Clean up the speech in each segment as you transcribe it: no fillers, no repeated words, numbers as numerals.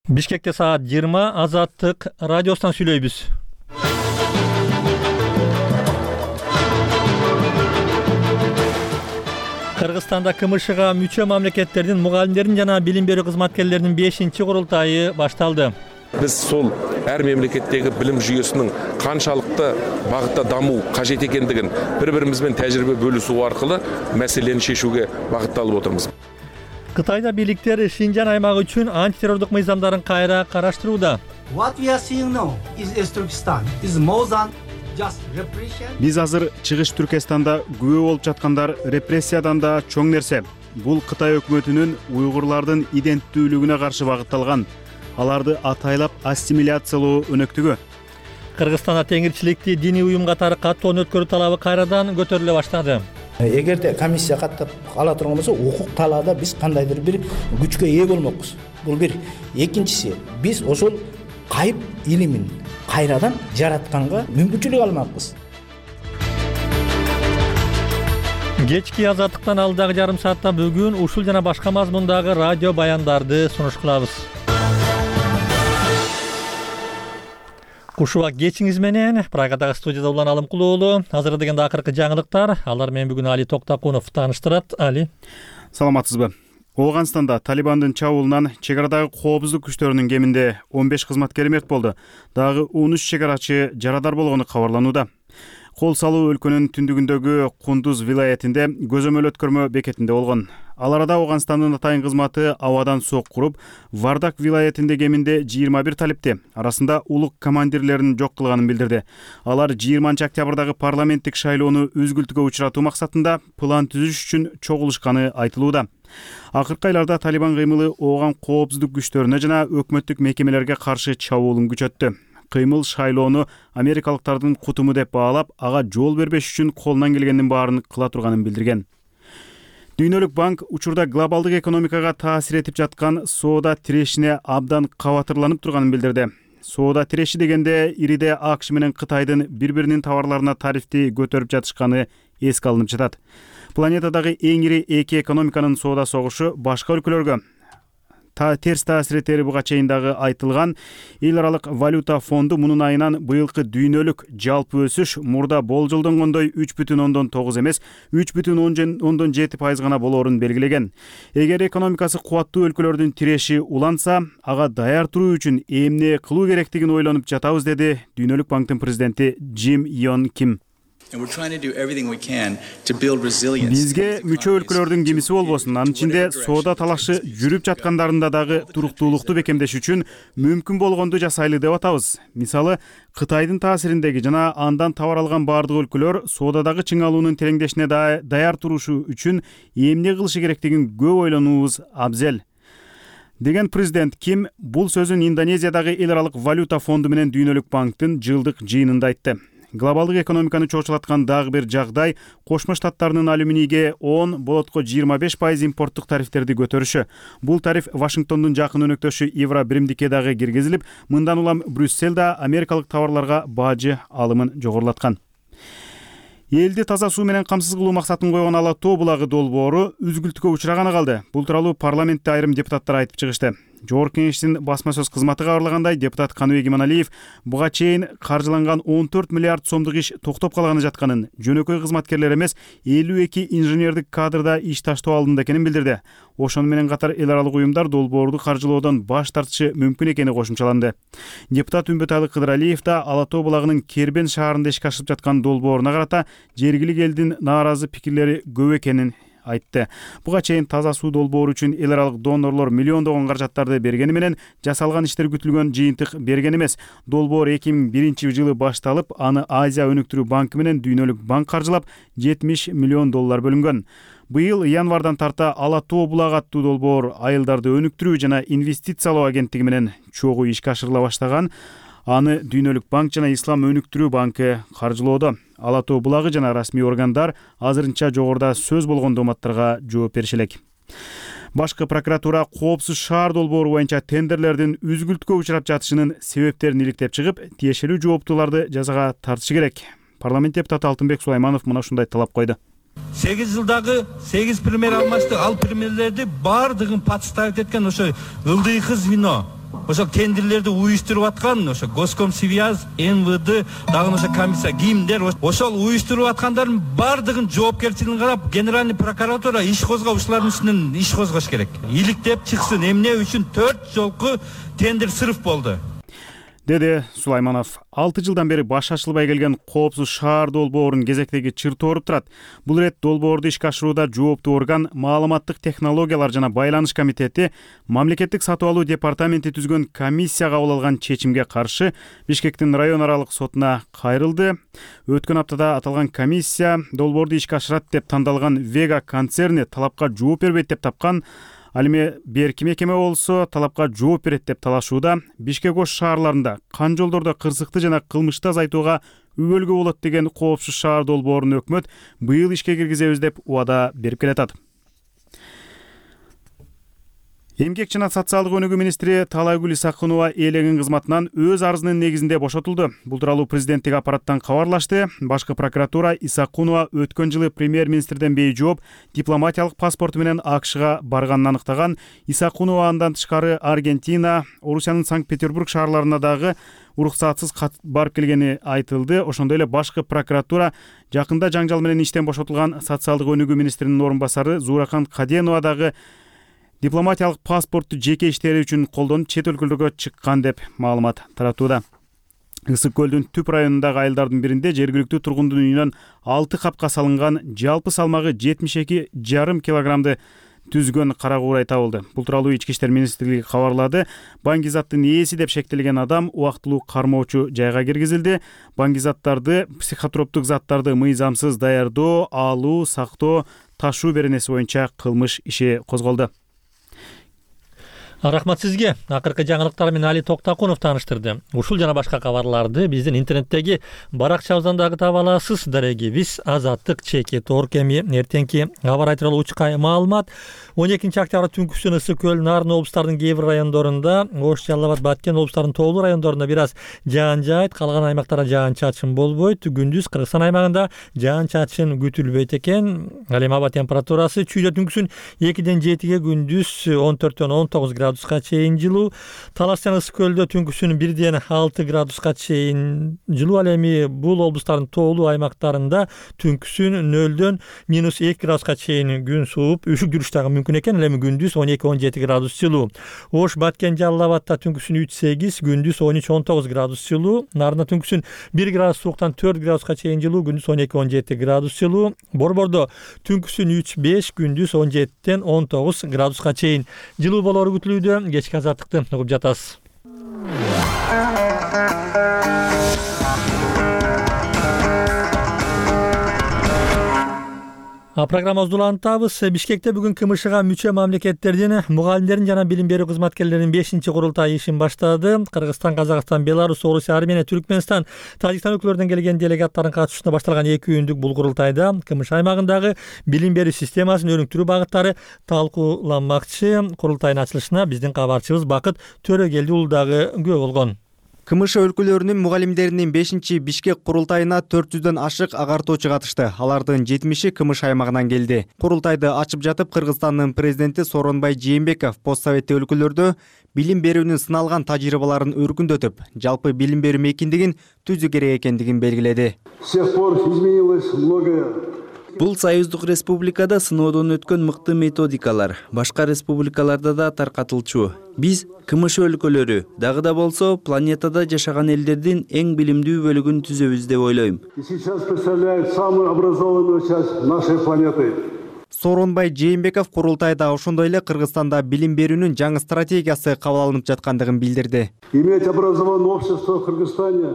Бишкекте саат 20 Азаттык радиосунан сүйлөйбүз. Кыргызстанда КМШга мүчө мамлекеттердин мугалимдерин жана билим берүү кызматкерлеринин 5-курултайы башталды. Биз сол ар мемлекеттеги билим жүйөсүнүн канчалыкты багытта дамуу кажет экендигин бири-бирибиз менен тажрыйба бөлүшүү аркылуу маселени чечүүгө багытталып отурбуз. Кытайда бийликтер Шинжан аймагы үчүн антитеррорлук мыйзамдарын кайра караштырууда. Биз азыр Чыгыш Түркестанда күбө болуп жаткандар репрессиядан да чоң нерсе. Бул Кытай өкмөтүнүн уйгурлардын иденттүүлүгүнө каршы багытталган, аларды атайлап ассимиляциялоо өнөктүгү. Кыргызстанда теңирчиликти диний уюм катары каттоон өткөрүү талабы кайрадан көтөрүлө баштады. Эгерде комиссия каттап ала турган болсо, укук талаада биз кандайдыр бир күчкө ээ болмокпуз. Бул бир. Экинчиси, биз ошол кайып илимин кайрадан жаратканга мүмкүнчүлүк алмакпыз. Кечки Азаттыктан алдагы жарым саатта бүгүн ушул жана башка мазмундагы радио баяндарды сунуш кылабыз. Кушубак кечиңиз менен Прагадагы студияда Улан Алымкулуу уулу. Азыр дегенде акыркы жаңылыктар. Алар менен бүгүн Али Токтакунов тааныштырат. Али. Саламатсызбы? Ооганстанда Талибандын чабуулунан чек арадагы коопсуздук күчтөрүнүн кеминде 15 кызматкери мерт болду. Дагы 13 чек арачы жарадар болгону кабарланууда. Кол салуу өлкөнүн түндүгүндөгү Кундуз вилаятинде көзөмөл өткөрмө бекетинде болгон. Ал арада Ооганстандын атайын кызматы абадан сок куруп, Вардак вилаятинде кеминде 21 талипти, арасында улук командирлерин жок кылганын билдирди. Алар 20 октябрдагы парламенттик шайлоону үзгүлтүгө учуратуу максатында план түзүш үчүн чогулушканы айтылууда. Акыркы айларда Талибан кыймылы ооган коопсуздук күчтөрүнө жана өкмөттүк мекемелерге каршы чабуулун күчөттү. Кыймыл шайлоону америкалыктардын кутуму деп баалап, ага жол бербеш үчүн колунан келгендин баарын кыла турганын билдирген. Дүйнөлүк банк учурда глобалдык экономикага таасир этип жаткан соода тирешине абдан кабатырланып турганын билдирди. Соода тиреши дегенде ириде АКШ менен Кытайдын бири-биринин товарларына тарифти көтөрүп жатышканы эске алынып жатат. Планетадагы эң ири эки экономиканын соода согушу башка өлкөлөргө терс таасир этери буга чейин дагы айтылган. Эл аралык валюта фонду мунун айынан быйылкы дүйнөлүк жалпы өсүш мурда болжолдонгондой 3,9 эмес, 3,7% гана болоорун белгилеген. Эгер экономикасы кубаттуу өлкөлөрдүн тиреши уланса, ага даяр туруу үчүн эмне кылуу керектигин ойлонуп жатабыз, деди Дүйнөлүк банктын президенти Джим Йон Ким. Бизге мүчө өлкөлөрдүн кимиси болбосун, анын ичинде соода талашы жүрүп жаткандарында дагы туруктуулукту бекемдеш үчүн мүмкүн болгонду жасайлы деп атабыз. Мисалы, Кытайдын таасириндеги жана андан товар алган бардык өлкөлөр соодадагы чыңалуунун тереңдешине даяр турушу үчүн эмне кылышы керектигин көп ойлонуубуз абзел, деген президент Ким бул сөзүн Индонезиядагы эл аралык валюта фонду менен Дүйнөлүк банктын жылдык жыйынында айтты. Глобалдык экономиканы чочулаткан дагы бир жагдай Кошмо Штаттарынын алюминийге 10, болотко 25% импорттук тарифтерди көтөрүшү. Бул тариф Вашингтондун жакын өнөктөшү Евро биримдикке дагы киргизилип, мындан улам Брюссель да америкалык товарларга бажы алымын жогорулаткан. Элди таза суу менен камсыз кылуу максатын койгон Ала Тоо булагы долбоору үзгүлтүккө учураганы калды. Бул тууралуу парламентте айрым депутаттар айтып чыгышты. Жогорку кеңештин басма сөз кызматы кабарлагандай, депутат Каныбек Иманалиев буга чейин каржыланган 14 миллиард сомдук иш токтоп калганы жатканын, жөнөкөй кызматкерлер эмес 52 инженердик кадрда иш таштоо алдында экенин билдирди. Ошону менен катар эл аралык уюмдар долбоорду каржылоодон баш тартышы мүмкүн экени кошумчаланды. Депутат Үмбөтайлы Кыдыралиев да Ала Тоо булагынын Кербен шаарында ишке ашырып жаткан долбооруна карата жергилик элдин нааразы пикирлери көп экенин айтты. Буга чейин таза суу долбоору үчүн эл аралык донорлор миллиондогон каражаттарды бергени менен жасалган иштер күтүлгөн жыйынтык берген эмес. Долбоор 2001 жылы башталып, аны Азия өнүктүрүү банкы менен Дүйнөлүк банк каржылап, $70 миллион бөлүнгөн. Быйыл январдан тарта Ала Тоо булагы аттуу долбоор айылдарды өнүктүрүү жана инвестициялоо агенттиги менен чогуу ишке ашырыла баштаган. Аны Дүйнөлүк банк жана Ислам өнүктүрүү банкы каржылоодо. Ала Тоо булагы жана расмий органдар азырынча жогоруда сөз болгон дооматтарга жооп бериши элек. Башкы прокуратура коопсуз шаар долбоору боюнча тендерлердин үзгүлтүккө учурап жатышынын себептерин иликтеп чыгып, тиешелүү жооптууларды жазага тартышы керек. Парламент депутаты Алтынбек Сулайманов мына ушундай талап койду. 8 жылдагы 8 премьер алмашты. Ал премьерлерди бардыгын подставить эткен ошо ылдый кыз вино. ошо тендерлерди уюштуруп аткан ошо Госкомсвязь, МВД, дагы ошо комиссия, кимдер ошол уюштуруп аткандардын баардыгын жоопкерчилигин карап, генеральный прокуратура иш козгоп, ушулардын үстүнөн иш козгош керек. Иликтеп чыксын, эмне үчүн 4 жолку тендер сырыф болду, деди Сулайманов. 6 жылдан бери баш ачылбай келген коопсуз шаар долбоорунун кезектеги чыртоо ооруп турат. Бул ирет долбоорду ишке ашырууда жооптуу орган Маалыматтык технологиялар жана байланыш комитети мамлекеттик сатып алуу департаменти түзгөн комиссия кабыл алган чечимге каршы Бишкектин район аралык сотуна кайрылды. Өткөн аптада аталган комиссия долбоорду ишке ашырат деп тандалган Вега концерни талапка жооп бербейт деп тапкан. Ал эми берки мекеме болсо талапка жооп берет деп талашууда. Бишкек ош шаарларында кан жолдордо кырсыкты жана кылмышты азайтууга үбөлгө болот деген коопсуз шаар долбоорун өкмөт быйыл ишке киргизебиз деп убада берип келатат. Эмгек жана социалдык өнүгүү министри Таалайгүл Исакунова ээлеген кызматынан өз арызынын негизинде бошотулду. Бул тууралуу президенттик аппараттан кабарлашты. Башкы прокуратура Исакунова өткөн жылы премьер-министрден бейжооп дипломатиялык паспорту менен АКШга барганын анықтаган. Исакунова андан тышкары Аргентина, Орусиянын Санкт-Петербург шаарларына дагы уруксатсыз барып келгени айтылды. Ошондой эле башкы прокуратура жакында жаңжал менен иштен бошотулган социалдык өнүгүү министринин орун басары Зууракан Каденова дагы дипломатиялык паспортту жеке иштери үчүн колдонуп чет өлкөлөргө чыккан деп маалымат таратууда. Ысык көлдүн түп районундагы айылдардын биринде жергиликтүү тургундун үйүнөн 6 капка салынган, жалпы салмагы 72,5 килограммды түзгөн кара куурай табылды. Бул тууралуу Ички иштер министрлиги кабарлады. Баңгизаттын ээси деп шектелген адам убактылуу кармоочу жайга киргизилди. Баңгизаттарды, психотроптук заттарды мыйзамсыз даярдоо, алуу, сактоо, ташуу беренеси боюнча кылмыш иши козголду. Рахмат сизге. Акыркы жаңылыктар менен Али Токтакунов тааныштырды. Ушул жана башка кабарларды биздин интернеттеги баракчабыздан дагы таба аласыз. Дарегибиз azattik.org. Эми эртеңки кабар айтылуу учкай маалымат. 12 октябрь түнкүсүн Ысык көл, Нарын облустарынын кээ бир райондорунда, Ош, Жалал Абад, Баткен облустарынын тоолуу райондорунда бир аз жаан жаайт, калган аймактарда жаан-чачын болбойт. Күндүз Кыргызстан аймагында жаан-чачын күтүлбөйт экен. Ал эми аба температурасы чүйдө түнкүсүн 2-ден 7-ге, күндүз 14-төн 19 градуска чейин жылуу. Талас жана Ысык көлдө түнкүсүн 1-ден 6 градуска чейин жылуу. Ал эми бул облустардын тоолуу аймактарында түнкүсүн 0-дөн -2 градуска чейин күн сууп, үшүк жүрүш дагы мүмкүн экен. Ал эми күндүз 12-17 градус жылуу. Ош, Баткен, Жалал Абадта түнкүсүн 3-8, күндүз 13-19 градус жылуу. Нарында түнкүсүн 1 градус сууктан 4 градуска чейин жылуу, күндүз 12-17 градус жылуу. Борбордо түнкүсүн 3-5, күндүз 17-ден 19 градуска чейин жылуу болору күтүлүүдө. Кечки азаттыкты угуп жатасыз. Программабызды улантабыз. Бишкекте бүгүн КМШга мүчө мамлекеттердин мугалимдерин жана билим берүү кызматкерлеринин 5-курултайы ишин баштады. Кыргызстан, Казакстан, Беларусь, Орусия, Армения, Түркмөнстан, Тажикстан өлкөлөрүнөн келген делегаттардын катышуусунда башталган 2 күндүк бул курултайда КМШ аймагындагы билим берүү системасын өнүктүрүү багыттары талкууланмакчы. Курултайдын ачылышына биздин кабарчыбыз Бакыт Төрөгелди уулу дагы күбө болгон. КМШ өлкөлөрүнүн мугалимдеринин 5 Бишкек курултайына 400дөн ашык агартуучу катышты. Алардын 70-и КМШ аймагынан келди. Курултайды ачып жатып Кыргызстандын президенти Сооронбай Жээнбеков посттсоветтик өлкөлөрдө билим берүүнүн сыналган тажрыйбаларын өркүндөтүп, жалпы билим берүү мейкиндигин түзүү керек экендигин белгиледи. С тех пор изменилось многое. Бул Союздук республикада сыноодон өткөн мыкты методикалар башка республикаларда да таркатылчу. Биз КМШ өлкөлөрү дагы да болсо планетада жашаган элдердин эң билимдүү бөлүгүн түзөбүз деп ойлойм. И сейчас представляет самую образованную часть нашей планеты. Сооронбай Жээнбеков курултайда ошондой эле Кыргызстанда билим берүүнүн жаңы стратегиясы кабыл алынып жаткандыгын билдирди. Иметь образованное общество в Кыргызстане.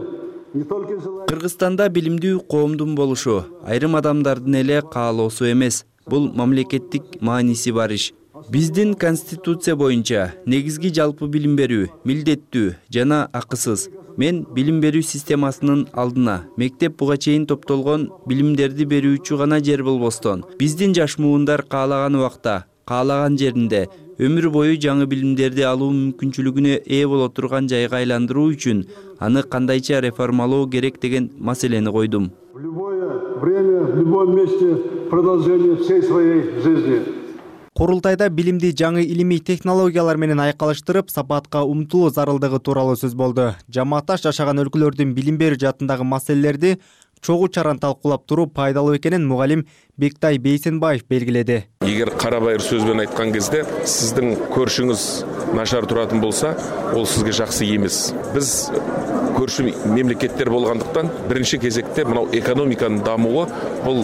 Кыргызстанда билимдүү коомдун болушу айрым адамдардын эле каалоосу эмес. Бул мамлекеттик мааниси бар иш. Биздин конституция боюнча негизги жалпы билим берүү милдеттүү жана акысыз. Мен билим берүү системасынын алдына мектеп буга чейин топтолгон билимдерди берүүчү гана жер болбостон, биздин жаш муундар каалаган убакта, каалаган жеринде өмүр бою жаңы билимдерди алуу мүмкүнчүлүгүнө ээ боло турган жайга айландыруу үчүн аны кандайча реформалоо керек деген маселени койдум. В любое время, в любом месте продолжение всей своей жизни. Курултайда билимди жаңы илимий технологиялар менен айкалыштырып, сапатка умтулуу зарылдыгы тууралуу сөз болду. Жамаатташ жашаган өлкөлөрдүн билим берүү жаатындагы маселелерди чогуу чаран талкуулап туруу пайдалуу экенин мугалим Бектай Бейсенбаев белгиледи. Эгер карабайыр сөзбен айткан кезде сиздин көршүңүз нашар туратын болса, ол сизге жакшы эмес. Биз көршү мемлекеттер болгондуктан биринчи кезекте мынау экономиканын дамуы бул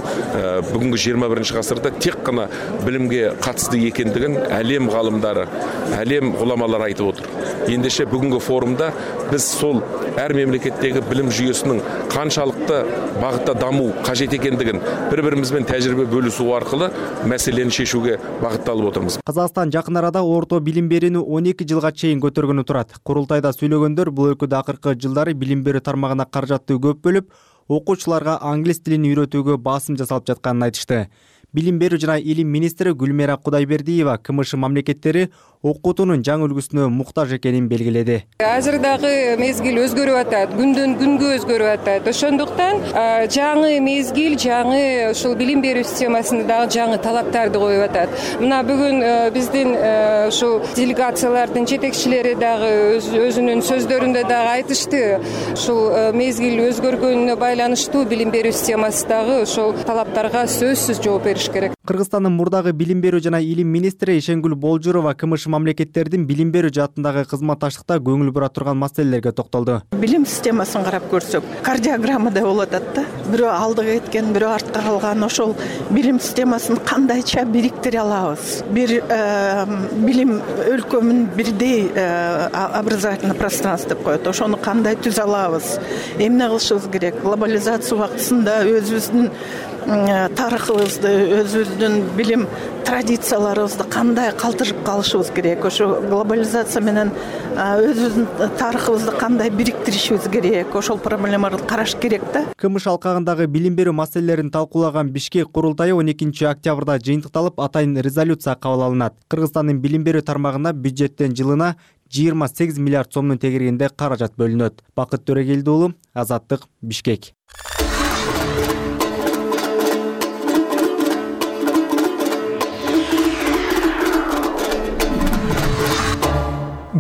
бүгүнкү 21 гасырда тек гана билимге катысты экендигин әлем галымдары, әлем уламалары айтып отур. Ендеше бүгүнкү форумда биз сол әр мемлекеттеги билим жүйөсүнүн канчалыкты багытта дамуу кажет экендигин бири-бирибизбен тажрыйба бөлүшүү аркылуу маселени шешүүгө багытталып отурбуз. Казакстан жакын арада орто билим берүүнү 12 жылга чейин көтөргөнү турат. Курултайда сүйлөгөндөр бул өлкөдө акыркы жылдары билим берүү тармагына каражатты көп бөлүп, окуучуларга англис тилин үйрөтүүгө басым жасалып жатканын айтышты. Билим берүү жана илим министри Гүлмира Кудайбердиева КМШ мамлекеттери окутуунун жаңы үлгүсүнө муктаж экенин белгиледи. Азыр дагы мезгил өзгөрүп атат, күндөн күнгө өзгөрүп атат. Ошондуктан жаңы мезгил, жаңы ушул билим берүү системасында дагы жаңы талаптарды коюп атат. Мына бүгүн биздин ушул делегациялардын жетекчилери дагы өзүнүн сөздөрүндө дагы айтышты. Ушул мезгил өзгөргөнүнө байланыштуу билим берүү системасы дагы ошол талаптарга сөзсүз жооп бериш керек. Кыргызстандын мурдагы билим берүү жана илим министри Ишенгүл Болжурова КМШ мамлекеттердин билим берүү жаатындагы кызматташтыкта көңүл бура турган маселелерге токтолду. Билим системасын карап көрсөк, кардиограммада болуп атат да. Бирөө алдыга кеткен, бирөө артка калган. Ошол билим системасын кандайча бириктире алабыз? Бир билим өлкөмүн бирдей образовательный пространство деп коет. Ошону кандай түзө алабыз? Эмне кылышыбыз керек? Глобализация убактысында өзүбүздүн тарыхыбызды, өзүбүздүн билим традицияларыбызды кандай калтырып калышыбыз керек? Ошо глобализация менен өзүбүздүн тарыхыбызды кандай бириктиришибиз керек? Ошол проблемаларды караш керек да. КМШ алкагындагы билим берүү маселелерин талкуулаган Бишкек курултайы 12 октябрда жыйынтыкталып, атайын резолюция кабыл алынат. Кыргызстандын билим берүү тармагына бюджеттен жылына 28 миллиард сомдун тегерегинде каражат бөлүнөт. Бакыт Төрегелди уулу, Азаттык, Бишкек.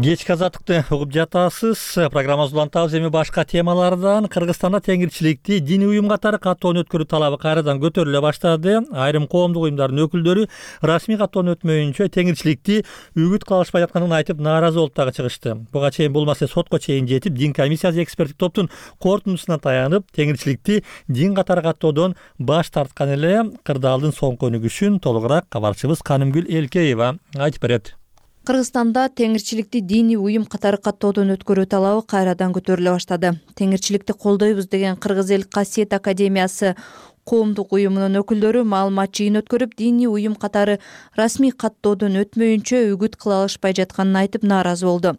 Кечки азаттыкты угуп жатасыз. Программабызды улантабыз. Эми башка темалардан. Кыргызстанда теңирчиликти диний уюм катары каттоону өткөрүү талабы кайрадан көтөрүлө баштады. Айрым коомдук уюмдардын өкүлдөрү расмий каттоону өтмөйүнчө теңирчиликти үгүт кыла алышпай жатканын айтып нааразы болуп дагы чыгышты. Буга чейин бул маселе сотко чейин жетип, дин комиссиясы эксперттик топтун корутундусуна таянып, теңирчиликти дин катары каттоодон баш тарткан эле. Кырдаалдын соңку өнүгүшүн толугураак кабарчыбыз Канымгүл Элкеева айтып берет. Кыргызстанда теңирчиликти диний уюм катары каттоодон өткөрүү талабы кайрадан көтөрүлө баштады. Теңирчиликти колдойбуз деген Кыргыз эл Касиет академиясы коомдук уюмунун өкүлдөрү маалымат жыйын өткөрүп, диний уюм катары расмий каттоодон өтмөйүнчө үгүт кыла алышпай жатканын айтып нааразы болду.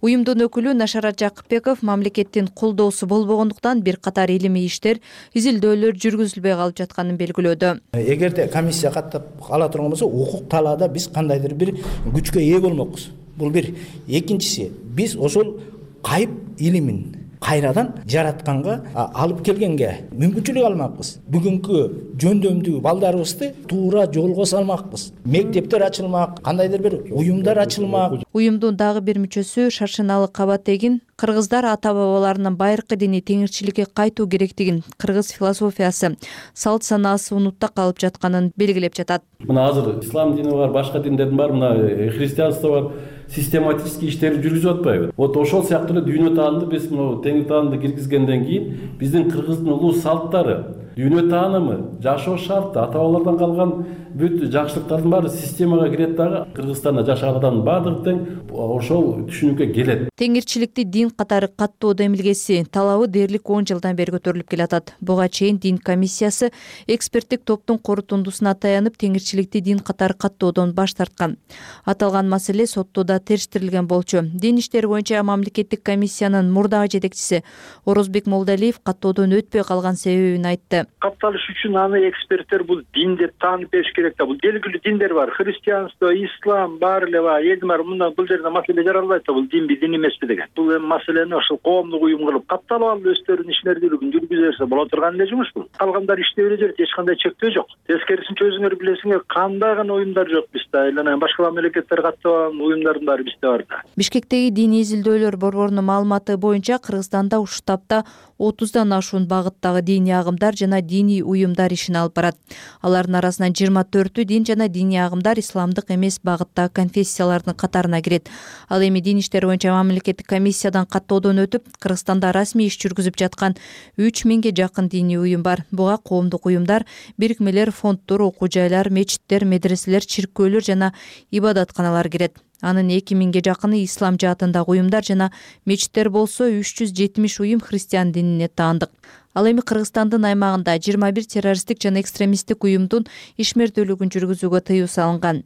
Уюмдун өкүлү Нашарат Жакыпбеков мамлекеттин колдоосу болбогондуктан бир катар илимий иштер, изилдөөлөр жүргүзүлбөй калып жатканын белгилөөдө. Эгерде комиссия каттап ала турган болсо, укук талаада биз кандайдыр бир күчкө ээ болмокпуз. Бул бир. Экинчиси, биз ошол кайып илимин кайрадан жаратканга, алып келгенге мүмкүнчүлүк алмакпыз. Бүгүнкү жөндөмдүү балдарыбызды туура жолго салмакпыз. Мектептер ачылмак, кандайдыр бир уюмдар ачылмак. Уюмдун дагы бир мүчөсү Шаршыналы Кабатегин кыргыздар ата-бабаларынын байыркы дини теңирчиликке кайтуу керектигин, кыргыз философиясы, салт санаасы унутта калып жатканын белгилеп жатат. Мына азыр ислам дини бар, башка диндердин бар, мына христианство бар. Систематический иштерди жүргүзүп атпайбы? Вот ошол сыяктуу эле дүйнө таанымды биз мына теңир таанымды киргизгенден кийин биздин кыргыздын улуу салттары, дүйнө таанымы, жашоо шарты, ата-бабалардан калган бүт жакшылыктардын баары системага кирет дагы. Кыргызстанда жашаган адамдын баардыгы тең ошол түшүнүккө келет. Теңирчиликти дин катары каттоо демилгеси талабы дээрлик 10 жылдан бери көтөрүлүп келатат. Буга чейин дин комиссиясы эксперттик топтун корутундусуна таянып, теңирчиликти дин катары каттоодон баш тарткан. Аталган маселе сотто да териштирилген болчу. Дин иштери боюнча мамлекеттик комиссиянын мурдагы жетекчиси Орозбек Молдалиев каттоодон өтпөй калган себебин айтты. билдирди. Катталыш үчүн аны эксперттер бул дин деп таанып бериш керек да. Бул белгилүү диндер бар. Христианство, ислам бар эле бар. Элдин баары мындан бул жерде маселе жаралбайт да. Бул динби, дин эмеспи деген. Бул эми маселени ошол коомдук уюм кылып катталып алып өздөрүнүн ишмердүүлүгүн жүргүзө берсе боло турган эле жумуш бул. Калгандар иштей бере берет, эч кандай чектөө жок. Тескерисинче өзүңөр билесиңер, кандай гана уюмдар жок бизде. Айлана башка мамлекеттер катталган уюмдардын баары бизде бар да. Бишкектеги диний изилдөөлөр борборунун маалыматы боюнча Кыргызстанда ушул таапта 30дан ашуун багыттагы диний агымдар жана диний уюмдар ишин алып барат. Алардын арасынан 24 дин жана диний агымдар исламдык эмес багыттагы конфессиялардын катарына кирет. Ал эми дин иштери боюнча мамлекеттик комиссиядан каттоодон өтүп, Кыргызстанда расмий иш жүргүзүп жаткан 3000ге жакын диний уюм бар. Буга коомдук уюмдар, бирикмелер, фонддор, окуу жайлар, мечиттер, медреселер, чиркөөлөр жана ибадатканалар кирет. Анын 2000ге жакыны ислам жаатындагы уюмдар жана мечиттер болсо 370 уюм христиан динине таандык. Ал эми Кыргызстандын аймагында 21 террористтик жана экстремисттик уюмдун ишмердүүлүгүн жүргүзүүгө тыюу салынган.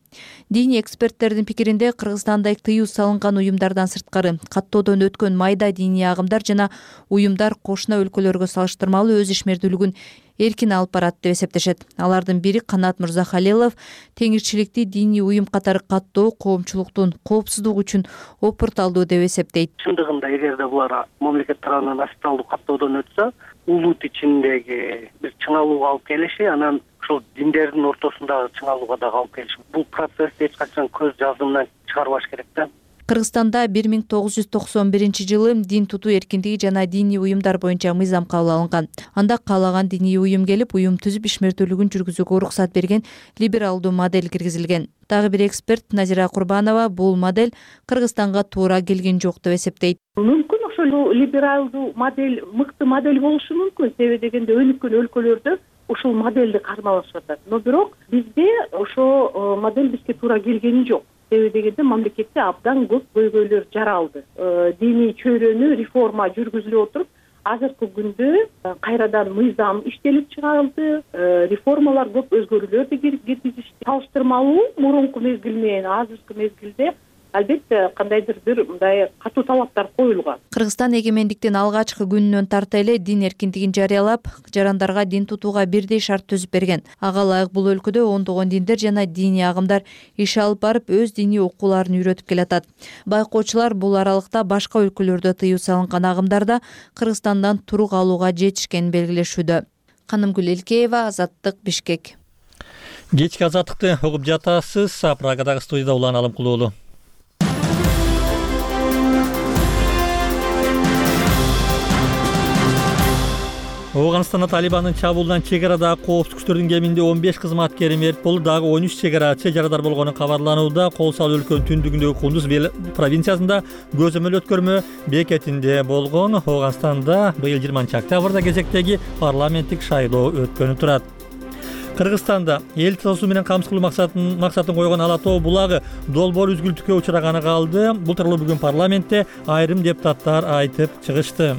Диний эксперттердин пикиринде Кыргызстанда тыюу салынган уюмдардан сырткары каттоодон өткөн майда диний агымдар жана уюмдар кошуна өлкөлөргө салыштырмалуу өз ишмердүүлүгүн эркин алып барат деп эсептешет. Алардын бири Канат Мырзахалилов теңирчиликти диний уюм катары каттоо коомчулуктун коопсуздугу үчүн опурталдуу деп эсептейт. Чындыгында эгерде булар мамлекет тарабынан официалдуу каттоодон өтсө, улут ичиндеги бир чыңалууга алып келиши, анан ушул диндердин ортосундагы чыңалууга дагы алып келиши. Бул процессти эч качан көз жазымынан чыгарбаш керек да. Кыргызстанда 1991 жылы дин тутуу эркиндиги жана диний уюмдар боюнча мыйзам кабыл алынган. Анда каалаган диний уюм келип, уюм түзүп ишмердүүлүгүн жүргүзүүгө уруксат берген либералдуу модель киргизилген. Дагы бир эксперт Назира Курбанова бул модель Кыргызстанга туура келген жок деп эсептейт. Мүмкүн ошол либералдуу модель мыкты модель болушу мүмкүн. Себеби дегенде өнүккөн өлкөлөрдө ушул модельди кармалашып атат. Но бирок бизде ошол модель бизге туура келгени жок. Себеби дегенде мамлекетте абдан көп көйгөйлөр жаралды. Диний чөйрөнү реформа жүргүзүлүп отуруп, азыркы күндө кайрадан мыйзам иштелип чыгарылды, реформалар көп өзгөрүүлөрдү киргизишти. Салыштырмалуу мурунку мезгил менен азыркы мезгилде албетте кандайдыр бир мындай катуу талаптар коюлган. Кыргызстан эгемендиктин алгачкы күнүнөн тарта эле дин эркиндигин жарыялап, жарандарга дин тутууга бирдей шарт түзүп берген. Ага ылайык бул өлкөдө ондогон диндер жана диний агымдар иш алып барып, өз диний окууларын үйрөтүп келатат. Байкоочулар бул аралыкта башка өлкөлөрдө тыюу салынган агымдарда Кыргызстандан турук алууга жетишкенин белгилешүүдө. Канымгүл Элкеева, Азаттык, Бишкек. Кечки Азаттыкты угуп жатасыз. Прагадагы студияда Улан Алымкулуулу. Ооганстанда Талибандын чабуулунан чек арадагы коопсуздук күчтөрдүн кеминде 15 кызматкери мерт болуп, дагы 13 чек арачы жарадар болгону кабарланууда. Кол салуу өлкөнүн түндүгүндөгү Кундуз провинциясында көзөмөл өткөрмө бекетинде болгон. Ооганстанда быйыл 20-октябрда кезектеги парламенттик шайлоо өткөнү турат. Кыргызстанда эл тазалоо менен камсыз кылуу максатын койгон Ала тоо булагы долбоор үзгүлтүккө учураганы калды. Бул тууралуу бүгүн парламентте айрым депутаттар айтып чыгышты.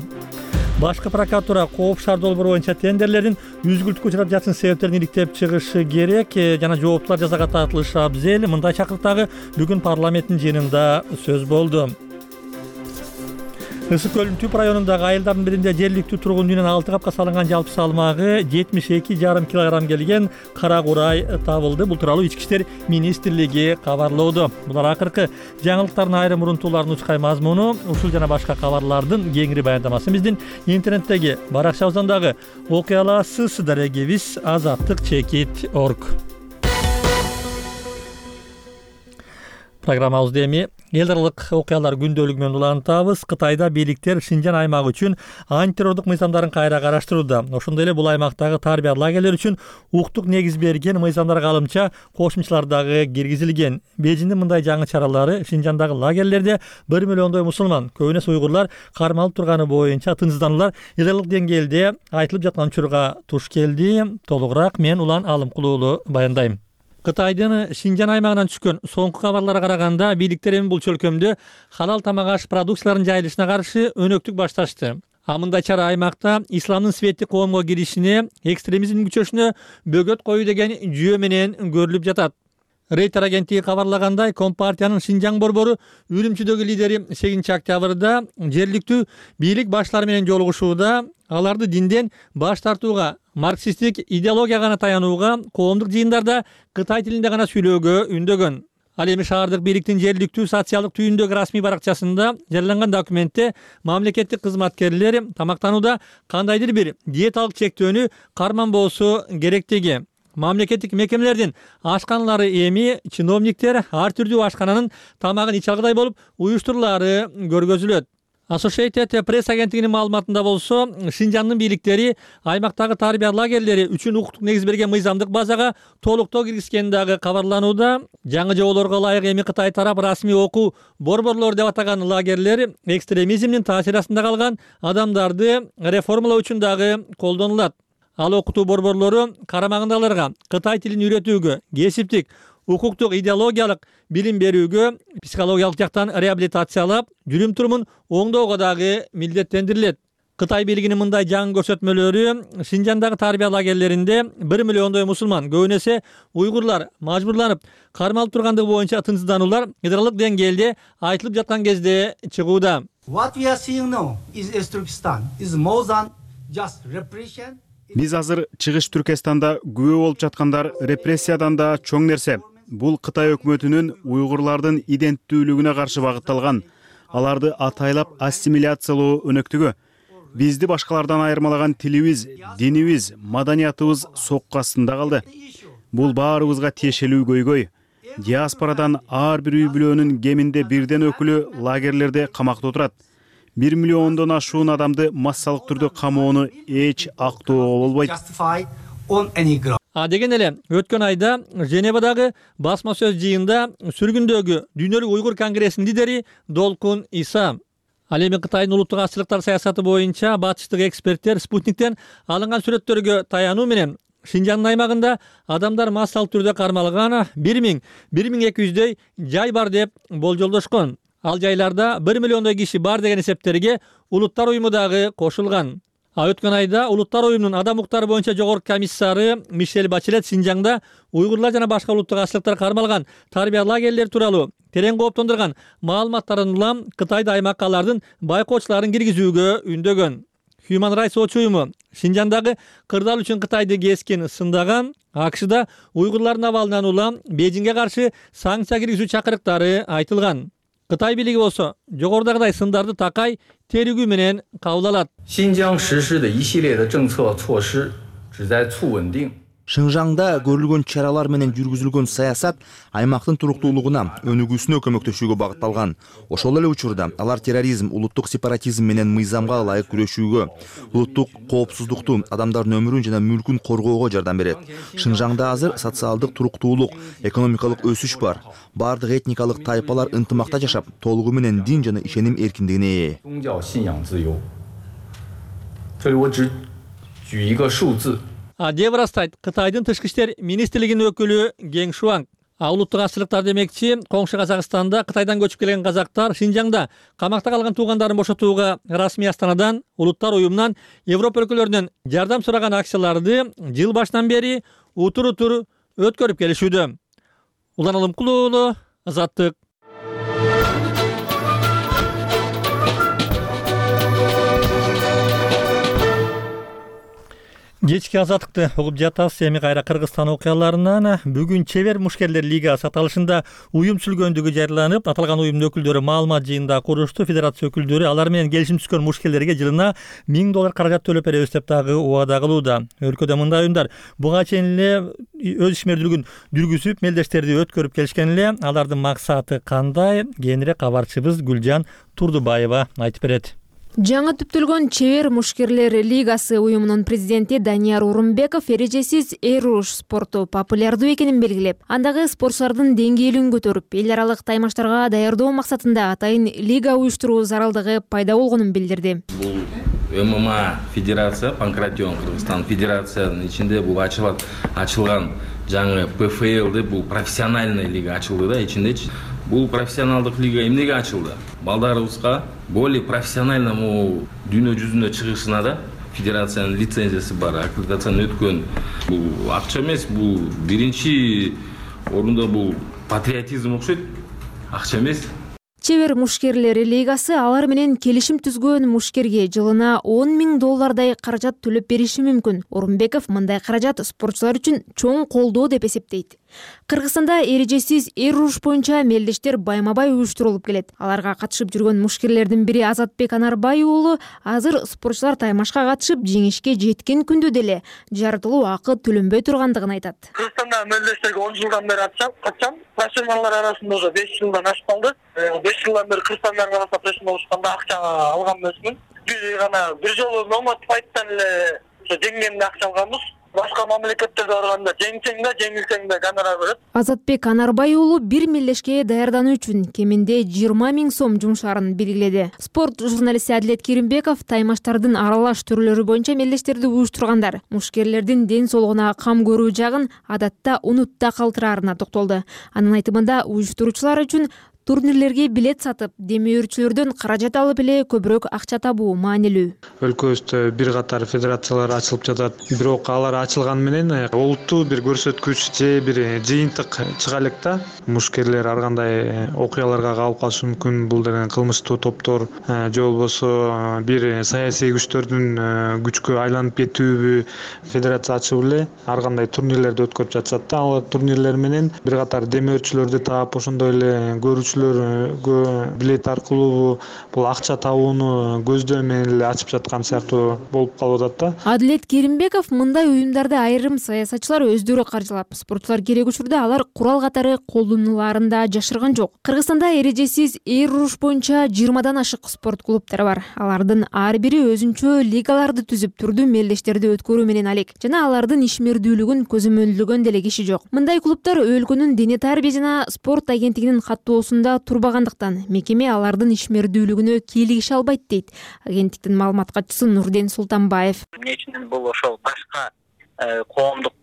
Башкы прокуратура Кооп шаар долбоору боюнча тендерлердин үзгүлтүккө учурап жатышын себептерин иликтеп чыгышы керек жана жооптуулар жазага тартылышы абзел. Мындай чакырыктагы бүгүн парламенттин жыйынында сөз болду. Ысык көлдүн Түп районундагы айылдардын биринде жергиликтүү тургун үйүнөн 6 капка салынган жалпы салмагы 72,5 килограмм келген кара курай табылды. Бул тууралуу Ички иштер министрлиги кабарлоодо. Булар акыркы жаңылыктардын айрым урунтууларынын учкай мазмуну. Ушул жана башка кабарлардын кеңири баяндамасы биздин интернеттеги баракчабыздан дагы окуй аласыз. Дарегибиз azattik.org. Программабызды эми эл аралык окуялар күндөлүгү менен улантабыз. Кытайда бийликтер Шинжан аймагы үчүн антитеррордук мыйзамдарын кайра караштырууда. Ошондой эле бул аймактагы тарбия лагерлери үчүн укуктук негиз берген мыйзамдарга алымча кошумчалар дагы киргизилген. Бейжиңдин мындай жаңы чаралары Шинжандагы лагерлерде 1 миллиондой мусулман, көбүнө уйгурлар кармалып турганы боюнча тынчсыздандылар. Эл аралык деңгээлде айтылып жаткан учурга туш келди. Толугураак мен Улан Алымкулуулу баяндайм. Кытайдын Шинжан аймагынан түшкөн соңку кабарларга караганда бийликтер эми бул чөлкөмдө халал тамак аш продукцияларынын жайылышына каршы өнөктүк башташты. Мындай чара аймакта исламдын светти коомго киришине, экстремизмдин күчөшүнө бөгөт коюу деген жүйө менен көрүлүп жатат. Рейтер агенттиги кабарлагандай, Компартиянын Шинжаң борбору Үрүмчүдөгү лидери 8 октябрда жергиликтүү бийлик баштары менен жолугушууда аларды динден баш тартууга, марксисттик идеологияга гана таянууга, коомдук жыйындарда Кытай тилинде гана сүйлөөгө үндөгөн. Ал эми шаардык бийликтин жергиликтүү социалдык түйүндөгү расмий баракчасында жарыяланган документте мамлекеттик кызматкерлер тамактанууда кандайдыр бир диеталык чектөөнү карманбоосу керектиги, мамлекеттик мекемелердин ашканалары эми чиновниктер ар түрдүү ашкананын тамагын ич алгыдай болуп уюштурулаары көргөзүлөт. Associated Press агенттигинин маалыматында болсо, Шинжаңдын бийликтери аймактагы тарбия лагерлери үчүн укуктук негиз берген мыйзамдык базага толуктоо киргизгени дагы кабарланууда. Жаңы жоболорго ылайык эми Кытай тарап расмий окуу борборлор деп атаган лагерлер экстремизмдин таасири астында калган адамдарды реформалоо үчүн дагы колдонулат. Ал окутуу борборлору карамагындагыларга Кытай тилин үйрөтүүгө, кесиптик, укуктук, идеологиялык билим берүүгө, психологиялык жактан реабилитациялап, жүрүм-турумун оңдоого дагы милдеттендирилет. Кытай бийлигинин мындай жаңы көрсөтмөлөрү Шинжаңдагы тарбия лагерлеринде 1 миллиондой мусулман, көбүнесе уйгурлар мажбурланып кармалып тургандыгы боюнча тынчсыздануулар федералдык деңгээлде айтылып жаткан кезде чыгууда. What we are seeing now is Turkestan is more than just repression. Биз азыр чыгыш Түркестанда күбө болуп жаткандар репрессиядан да чоң нерсе. Бул Кытай өкмөтүнүн уйгурлардын иденттүүлүгүнө каршы багытталган, аларды атайлап ассимиляциялоо өнөктүгү. Бизди башкалардан айырмалаган тилибиз, динибиз, маданиятыбыз сокку астында калды. Бул баарыбызга тиешелүү көйгөй. Диаспорадан ар бир үй бүлөнүн кеминде бирден өкүлү лагерлерде камакта отурат. 1 миллиондон ашуун адамды массалык түрдө камоону эч актоого болбойт. Деген эле өткөн айда Женевадагы басма сөз жыйында сүргүндөгү Дүйнөлүк уйгур конгрессинин лидери Долкун Иса. Ал эми Кытайдын улуттук азчылыктар саясаты боюнча батыштык эксперттер спутниктен алынган сүрөттөргө таянуу менен Шинжаңдын аймагында адамдар массалык түрдө кармалган 1000-1200дөй жай бар деп болжолдошкон. Ал жайларда 1 миллиондой киши бар деген эсептерге Улуттар уюму дагы кошулган. Өткөн айда Улуттар уюмунун адам укуктары боюнча жогорку комиссары Мишель Бачелет Шинжаңда уйгурлар жана башка улуттук азчылыктар кармалган тарбия лагерлери тууралуу терең кооптондурган маалыматтарын улам Кытайда аймакка алардын байкоочуларын киргизүүгө үндөгөн. Human Rights Watch уюму Шинжаңдагы кырдаал үчүн Кытайды кескин сындаган, АКШда уйгурлардын абалынан улам Бейжиңге каршы санкция киргизүү чакырыктары айтылган. Кытай бийлиги болсо жогорудагыдай сындарды такай терүгүү менен кабыл алат. Шинжаңда көрүлгөн чаралар менен жүргүзүлгөн саясат аймактын туруктуулугуна, өнүгүүсүнө көмөктөшүүгө багытталган. Ошол эле учурда алар терроризм, улуттук сепаратизм менен мыйзамга ылайык күрөшүүгө, улуттук коопсуздукту, адамдардын өмүрүн жана мүлкүн коргоого жардам берет. Шинжаңда азыр социалдык туруктуулук, экономикалык өсүш бар. Бардык этникалык тайпалар ынтымакта жашап, толугу менен дин жана ишеним эркиндигине ээ. Деп ырастайт Кытайдын тышкы иштер министрлигинин өкүлү Гең Шуанг. Улуттук азчылыктар демекчи, коңшу Казакстанда Кытайдан көчүп келген казактар Шинжаңда камакта калган туугандарын бошотууга расмий астанадан, Улуттар уюмунан, Европа өлкөлөрүнөн жардам сураган акцияларды жыл башынан бери утур-утур өткөрүп келишүүдө. Улан Алымкулуу уулу, Азаттык. Кечки азаттыкты угуп жатасыз. Эми кайра Кыргызстан окуяларынан. Бүгүн Чебер мушкерлер лигасы аталышында уюм түзүлгөндүгү жарыяланып, аталган уюмдун өкүлдөрү маалымат жыйында курушту. Федерация өкүлдөрү алар менен келишим түзгөн мушкерлерге жылына $1000 каражат төлөп беребиз деп дагы убада кылууда. Өлкөдө мындай уюмдар буга чейин эле өз ишмердүүлүгүн жүргүзүп, мелдештерди өткөрүп келишкен эле. Алардын максаты кандай? Кийинирээк кабарчыбыз Гүлжан Турдубаева айтып берет. Жаңы түптөлгөн Чебер мушкерлер лигасы уюмунун президенти Данияр Урумбеков эрежесиз эруш спорту популярдуу экенин белгилеп, андагы спортчулардын деңгээлин көтөрүп, эл аралык таймаштарга даярдоо максатында атайын лига уюштуруу зарылдыгы пайда болгонун билдирди. Бул ММА федерация, Панкратион Кыргызстан федерациянын ичинде бул ачылган жаңы ПФЛ бул профессиональный лига ачылды да, ичиндечи. Бул профессионалдык лига эмнеге ачылды? Балдарыбызга более профессиональному дүйнө жүзүнө чыгышына да федерациянын лицензиясы бар, аккредитацияны өткөн. Бул акча эмес, бул биринчи орунда бул патриотизм окшойт, акча эмес. Чебер мушкерлери лигасы алар менен келишим түзгөн мушкерге жылына $10,000 каражат төлөп бериши мүмкүн. Орунбеков мындай каражат спортчулар үчүн чоң колдоо деп эсептейт. Кыргызстанда эрежесиз эр уруш боюнча мелдештер байма-бай уюштурулуп келет. Аларга катышып жүргөн мушкерлердин бири Азатбек Анарбай уулу азыр спортчулар таймашка катышып жеңишке жеткен күндө деле жартылуу акы төлөнбөй тургандыгын айтат. Кыргызстанда мелдештерге 10 жылдан бери катышам. Профессионалдар арасында уже 5 жылдан ашып калды. 5 жылдан бери Кыргызстандын арасында профессионал болушканда акча алган эмесмин. Бир жолу номад файттан эле жеңгенде акча алганбыз. Башка мамлекеттерге барганда жеңсең да, жеңилсең да гонорар берет. Азатбек Анарбай уулу бир мелдешке даярдануу үчүн кеминде 20,000 сом жумшаарын белгиледи. Спорт журналисти Адилет Керимбеков таймаштардын аралаш түрлөрү боюнча мелдештерди уюштургандар мушкерлердин ден соолугуна кам көрүү жагын адатта унутта калтыраарына токтолду. Анын айтымында уюштуруучулар үчүн турнирлерге билет сатып, демөөрчүлөрдөн каражат алып эле көбүрөөк акча табуу маанилүү. Өлкөбүздө бир катар федерациялар ачылып жатат. Бирок алар ачылган менен олуттуу бир көрсөткүч же бир жыйынтык чыга элек да. Мушкерлер ар кандай окуяларга калып калышы мүмкүн. Бул деген кылмыштуу топтор же болбосо бир саясий күчтөрдүн күчкө айланып кетүүбү федерация ачып эле ар кандай турнирлерди өткөрүп жатышат да. Ал турнирлер менен бир катар демөөрчүлөрдү таап, ошондой эле билет аркылуу бул акча табууну көздөй менен эле ачып жаткан сыяктуу болуп калып атат да. Адилет Керимбеков мындай уюмдарды айрым саясатчылар өздөрү каржылап, спортчулар керек учурда алар курал катары колдонулаарын да жашырган жок. Кыргызстанда эрежесиз эр уруш боюнча 20дан ашык спорт клубтары бар. Алардын ар бири өзүнчө лигаларды түзүп, түрдүү мелдештерди өткөрүү менен алек жана алардын ишмердүүлүгүн көзөмөлдөгөн деле киши жок. Мындай клубтар өлкөнүн дене тарбия жана спорт агенттигинин каттоосунда турбагандыктан мекеме алардын ишмердүүлүгүнө кийлигише албайт дейт агенттиктин маалымат катчысы Нурден Султанбаев. Эмне үчүн бул ошол башка коомдук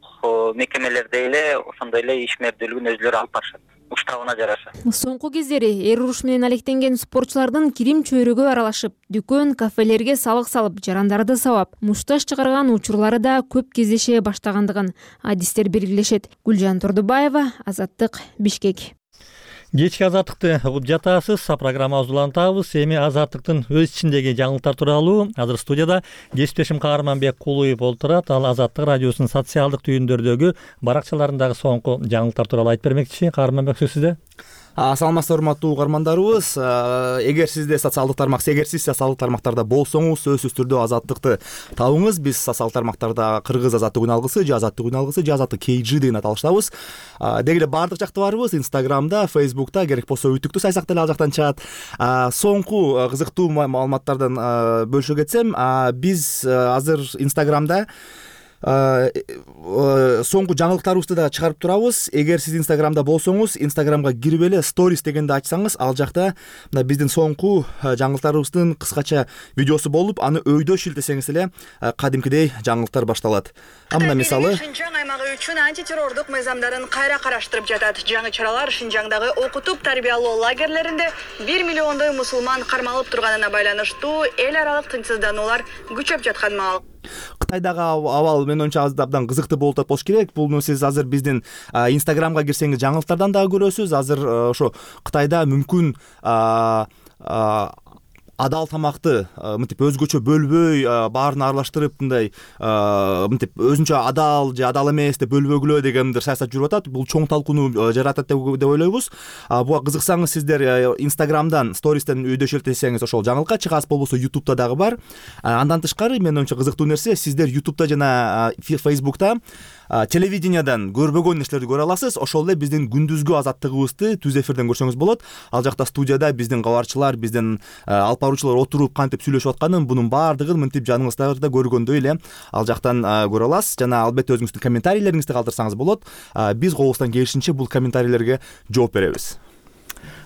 мекемелерде эле ошондой эле ишмердүүлүгүн өзлөрү алып барышат. Уштабына жараша. Соңку кездери эр уруш менен алектенген спортчулардын кирим чөйрөгө аралашып, дүкөн, кафелерге салык салып, жарандарды сабап, мушташ чыгарган учурлары да көп кездеше баштагандыгын адистер белгилешет. Гүлжан Турдубаева, Азаттык, Бишкек. Кечки азаттыкты угуп жатасыз. Программабызды улантабыз. Эми азаттыктын өз ичиндеги жаңылыктар тууралуу азыр студияда кесиптешим Каарманбек Кулуев олтурат. Ал Азаттык радиосунун социалдык түйүндөрдөгү баракчаларындагы соңку жаңылыктар тууралуу айтып бермекчи. Каарманбек, сөз сизде. Саламатсыздар, урматтуу угармандарыбыз. Эгер сизде социалдык тармак, эгер сиз социалдык тармактарда болсоңуз, сөзсүз түрдө азаттыкты табыңыз. Биз социалдык тармактарда кыргыз азаттык үн алгысы, же азаттык үн алгысы, же азаттык KG деген аталыштабыз. Деги эле баардык жакта барбыз. Инстаграмда, Фейсбукта, керек болсо үтүктү сайсак деле ал жактан чыгат. Соңку кызыктуу маалыматтардан бөлүшө кетсем, биз азыр Инстаграмда соңку жаңылыктарыбызды да чыгарып турабыз. Эгер сиз Инстаграмда болсоңуз, Инстаграмга кирип эле сторис дегенди ачсаңыз, ал жакта биздин соңку жаңылыктарыбыздын кыскача видеосу болуп, аны өйдө шилтесеңиз эле кадимкидей жаңылыктар башталат. Мына мисалы Шинжаң аймагы үчүн антитеррордук мыйзамдарын кайра караштырып жатат. Жаңы чаралар Шинжаңдагы окутуп тарбиялоо лагерлеринде 1 миллиондой мусулман кармалып турганына байланыштуу эл аралык тынчсыздануулар күчөп жаткан маал. Кытайдагы абал менин оюмча абдан кызыктуу болуп атат болуш керек. Бул сиз азыр биздин Инстаграмга кирсеңиз жаңылыктардан дагы көрөсүз. Азыр ошо Кытайда мүмкүн адал тамакты мынтип өзгөчө бөлбөй, баарын аралаштырып, мындай мынтип өзүнчө адал же адал эмес деп бөлбөгүлөө деген бир саясат жүрүп атат. Бул чоң талкууну жаратат деп ойлойбуз. Буга кызыксаңыз, сиздер Инстаграмдан, стористен өйдө шилтесеңиз ошол жаңылыкка чыгасыз, болбосо Ютубта дагы бар. Андан тышкары, менин оюмча кызыктуу нерсе, сиздер Ютубта жана Фейсбукта телевидениядан көрбөгөн нерселерди көрө аласыз. Ошол эле биздин күндүзгү азаттыгыбызды түз эфирден көрсөңүз болот. Ал жакта студияда биздин кабарчылар, биздин алып баруучулар отуруп кантип сүйлөшүп атканын, бунун баардыгын мынтип жаныңыздарда көргөндөй эле ал жактан көрө аласыз. Жана албетте өзүңүздүн комментарийлериңизди калтырсаңыз болот. Биз колубуздан келишинче бул комментарийлерге жооп беребиз.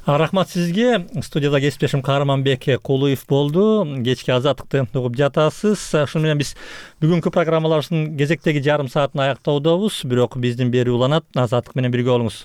Рахмат сизге. Студияда кесиптешим Каарманбек Кулуев болду. Кечки азаттыкты угуп жатасыз. Ошону менен биз бүгүнкү программаларыбыздын кезектеги жарым саатын аяктоодобуз. Бирок биздин берүү уланат. Азаттык менен бирге болуңуз.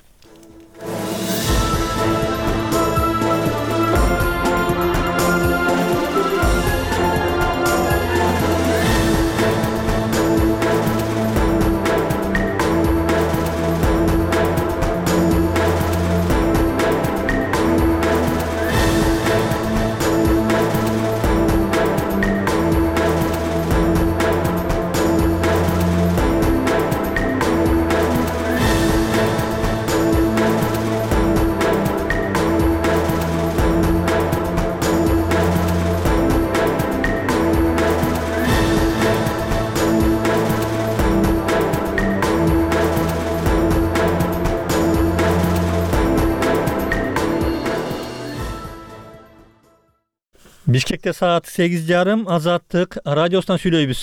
Бишкекте саат 8:30 Азаттык радиосунан сүйлөйбүз.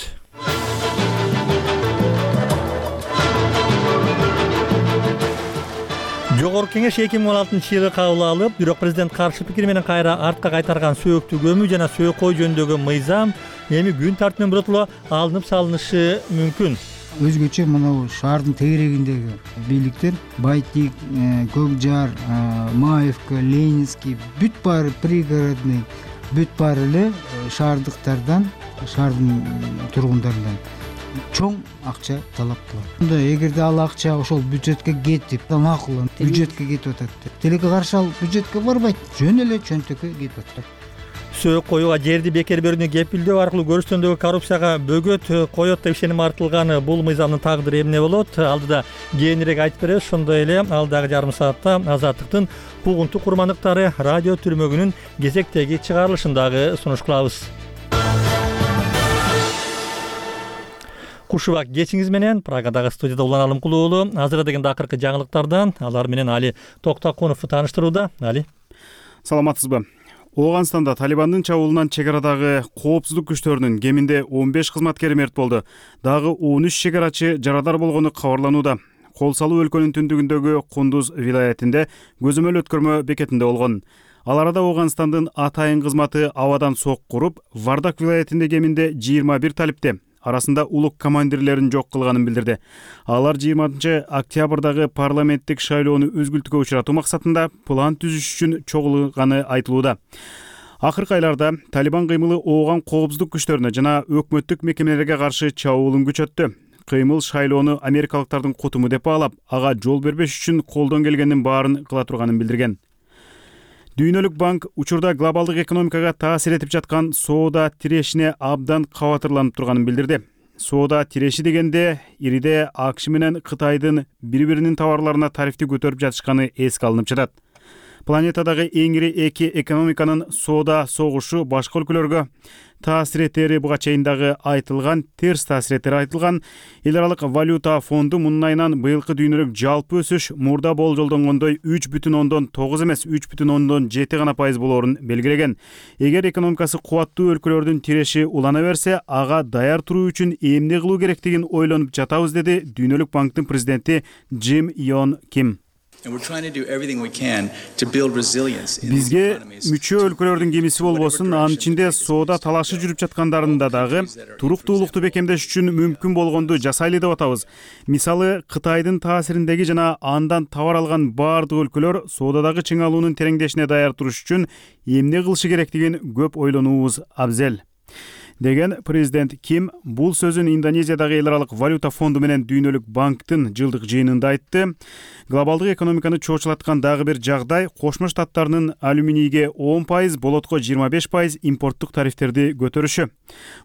Жогорку Кеңеш 2016-жылы кабыл алып, бирок президент каршы пикир менен кайра артка кайтарган сөөктү көмүү жана сөөкөй жөнүндөгү мыйзам эми күн тартибинен биротоло алынып салынышы мүмкүн. Өзгөчө мына шаардын тегерегиндеги бийликтер Байтик, Көкжар, Маевка, Ленинский бүт баары пригородный, бүт баары эле шаардыктардан, шаардын тургундарынан чоң акча талап кылат. Эгерде ал акча ошол бюджетке кетип, макул, бюджетке кетип атат. Тилекке каршы ал бюджетке барбайт, жөн эле чөнтөккө кетип атат. Сөөк коюуга жерди бекер берүүнү кепилдөө аркылуу көрүштөндөгү коррупцияга бөгөт коет деп ишеним артылган бул мыйзамдын тагдыры эмне болот? Алдыда кийинирээк айтып беребиз. Ошондой эле алдагы жарым саатта Азаттыктын куугунтук курмандыктары радио түрмөгүнүн кезектеги чыгарылышын дагы сунуш кылабыз. Кушубак кечиңиз менен Прагадагы студияда Улан Алымкулуу уулу азыр деген акыркы жаңылыктардан алар менен Али Токтакунов тааныштырууда. Али. Саламатсызбы? Ооганстанда Талибандын чабуулунан чек арадагы коопсуздук күчтөрүнүн кеминде 15 кызматкери мерт болду. Дагы 13 чек арачы жарадар болгону кабарланууда. Кол салуу өлкөнүн түндүгүндөгү Кундуз вилаятинде көзөмөл өткөрмө бекетинде болгон. Ал арада Ооганстандын атайын кызматы абадан сок куруп, Вардак вилаятинде кеминде 21 талипте, арасында улук командирлерин жок кылганын билдирди. Алар 20 октябрдагы парламенттик шайлоону өзгүлтүккө учуратуу максатында план түзүш үчүн чогулганы айтылууда. Акыркы айларда Талибан кыймылы ооган коопсуздук күчтөрүнө жана өкмөттүк мекемелерге каршы чабуулун күчөттү. Кыймыл шайлоону америкалыктардын кутуму деп баалап, ага жол бербеш үчүн колдон келгендин баарын кыла турганын билдирген. Дүйнөлүк банк учурда глобалдык экономикага таасир этип жаткан соода тирешине абдан кабатырланып турганын билдирди. Соода тиреши дегенде ириде АКШ менен Кытайдын бири-биринин товарларына тарифти көтөрүп жатышканы эске алынып жатат. Планетадагы эң ири эки экономиканын соода согушу башка өлкөлөргө таасир этери буга чейин дагы айтылган, терс таасир этери айтылган. Эл аралык валюта фонду мунун айынан быйылкы дүйнөлүк жалпы өсүш мурда болжолдонгондой 3,9 эмес 3,7 гана пайыз болоорун белгилеген. Эгер экономикасы кубаттуу өлкөлөрдүн тиреши улана берсе, ага даяр туруу үчүн эмне кылуу керектигин ойлонуп жатабыз, деди Дүйнөлүк банктын президенти Джим Йон Ким. Бизге мүчө өлкөлөрдүн кемиси болбосун, анын ичинде соода талашы жүрүп жаткандарында дагы туруктуулукту бекемдеш үчүн мүмкүн болгонду жасайлы деп атабыз. Мисалы, Кытайдын таасириндеги жана андан товар алган баардык өлкөлөр соодадагы чыңалуунун тереңдешине даяр туруш үчүн эмне кылышы керектигин көп ойлонуубуз абзел, деген президент Ким бул сөзүн Индонезиядагы эл аралык валюта фонду менен Дүйнөлүк банктын жылдык жыйынында айтты. Глобалдык экономиканы чоочулаткан дагы бир жагдай Кошмо Штаттарынын алюминийге 10%, болотко 25% импорттук тарифтерди көтөрүшү.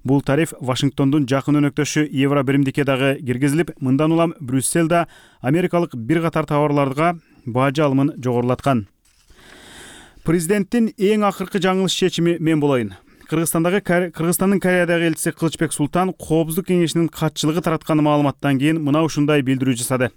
Бул тариф Вашингтондун жакын өнөктөшү Евро биримдикке дагы киргизилип, мындан улам Брюсселда америкалык бир катар товарларга бажы алымын жогорулаткан. Президенттин эң акыркы жаңылыш чечими мен болоюн. Кыргызстандын Кореядагы элчиси Кылычбек Султан Коопсуздук кеңешинин катчылыгы тараткан маалыматтан кийин мына ушундай билдирүү жасады.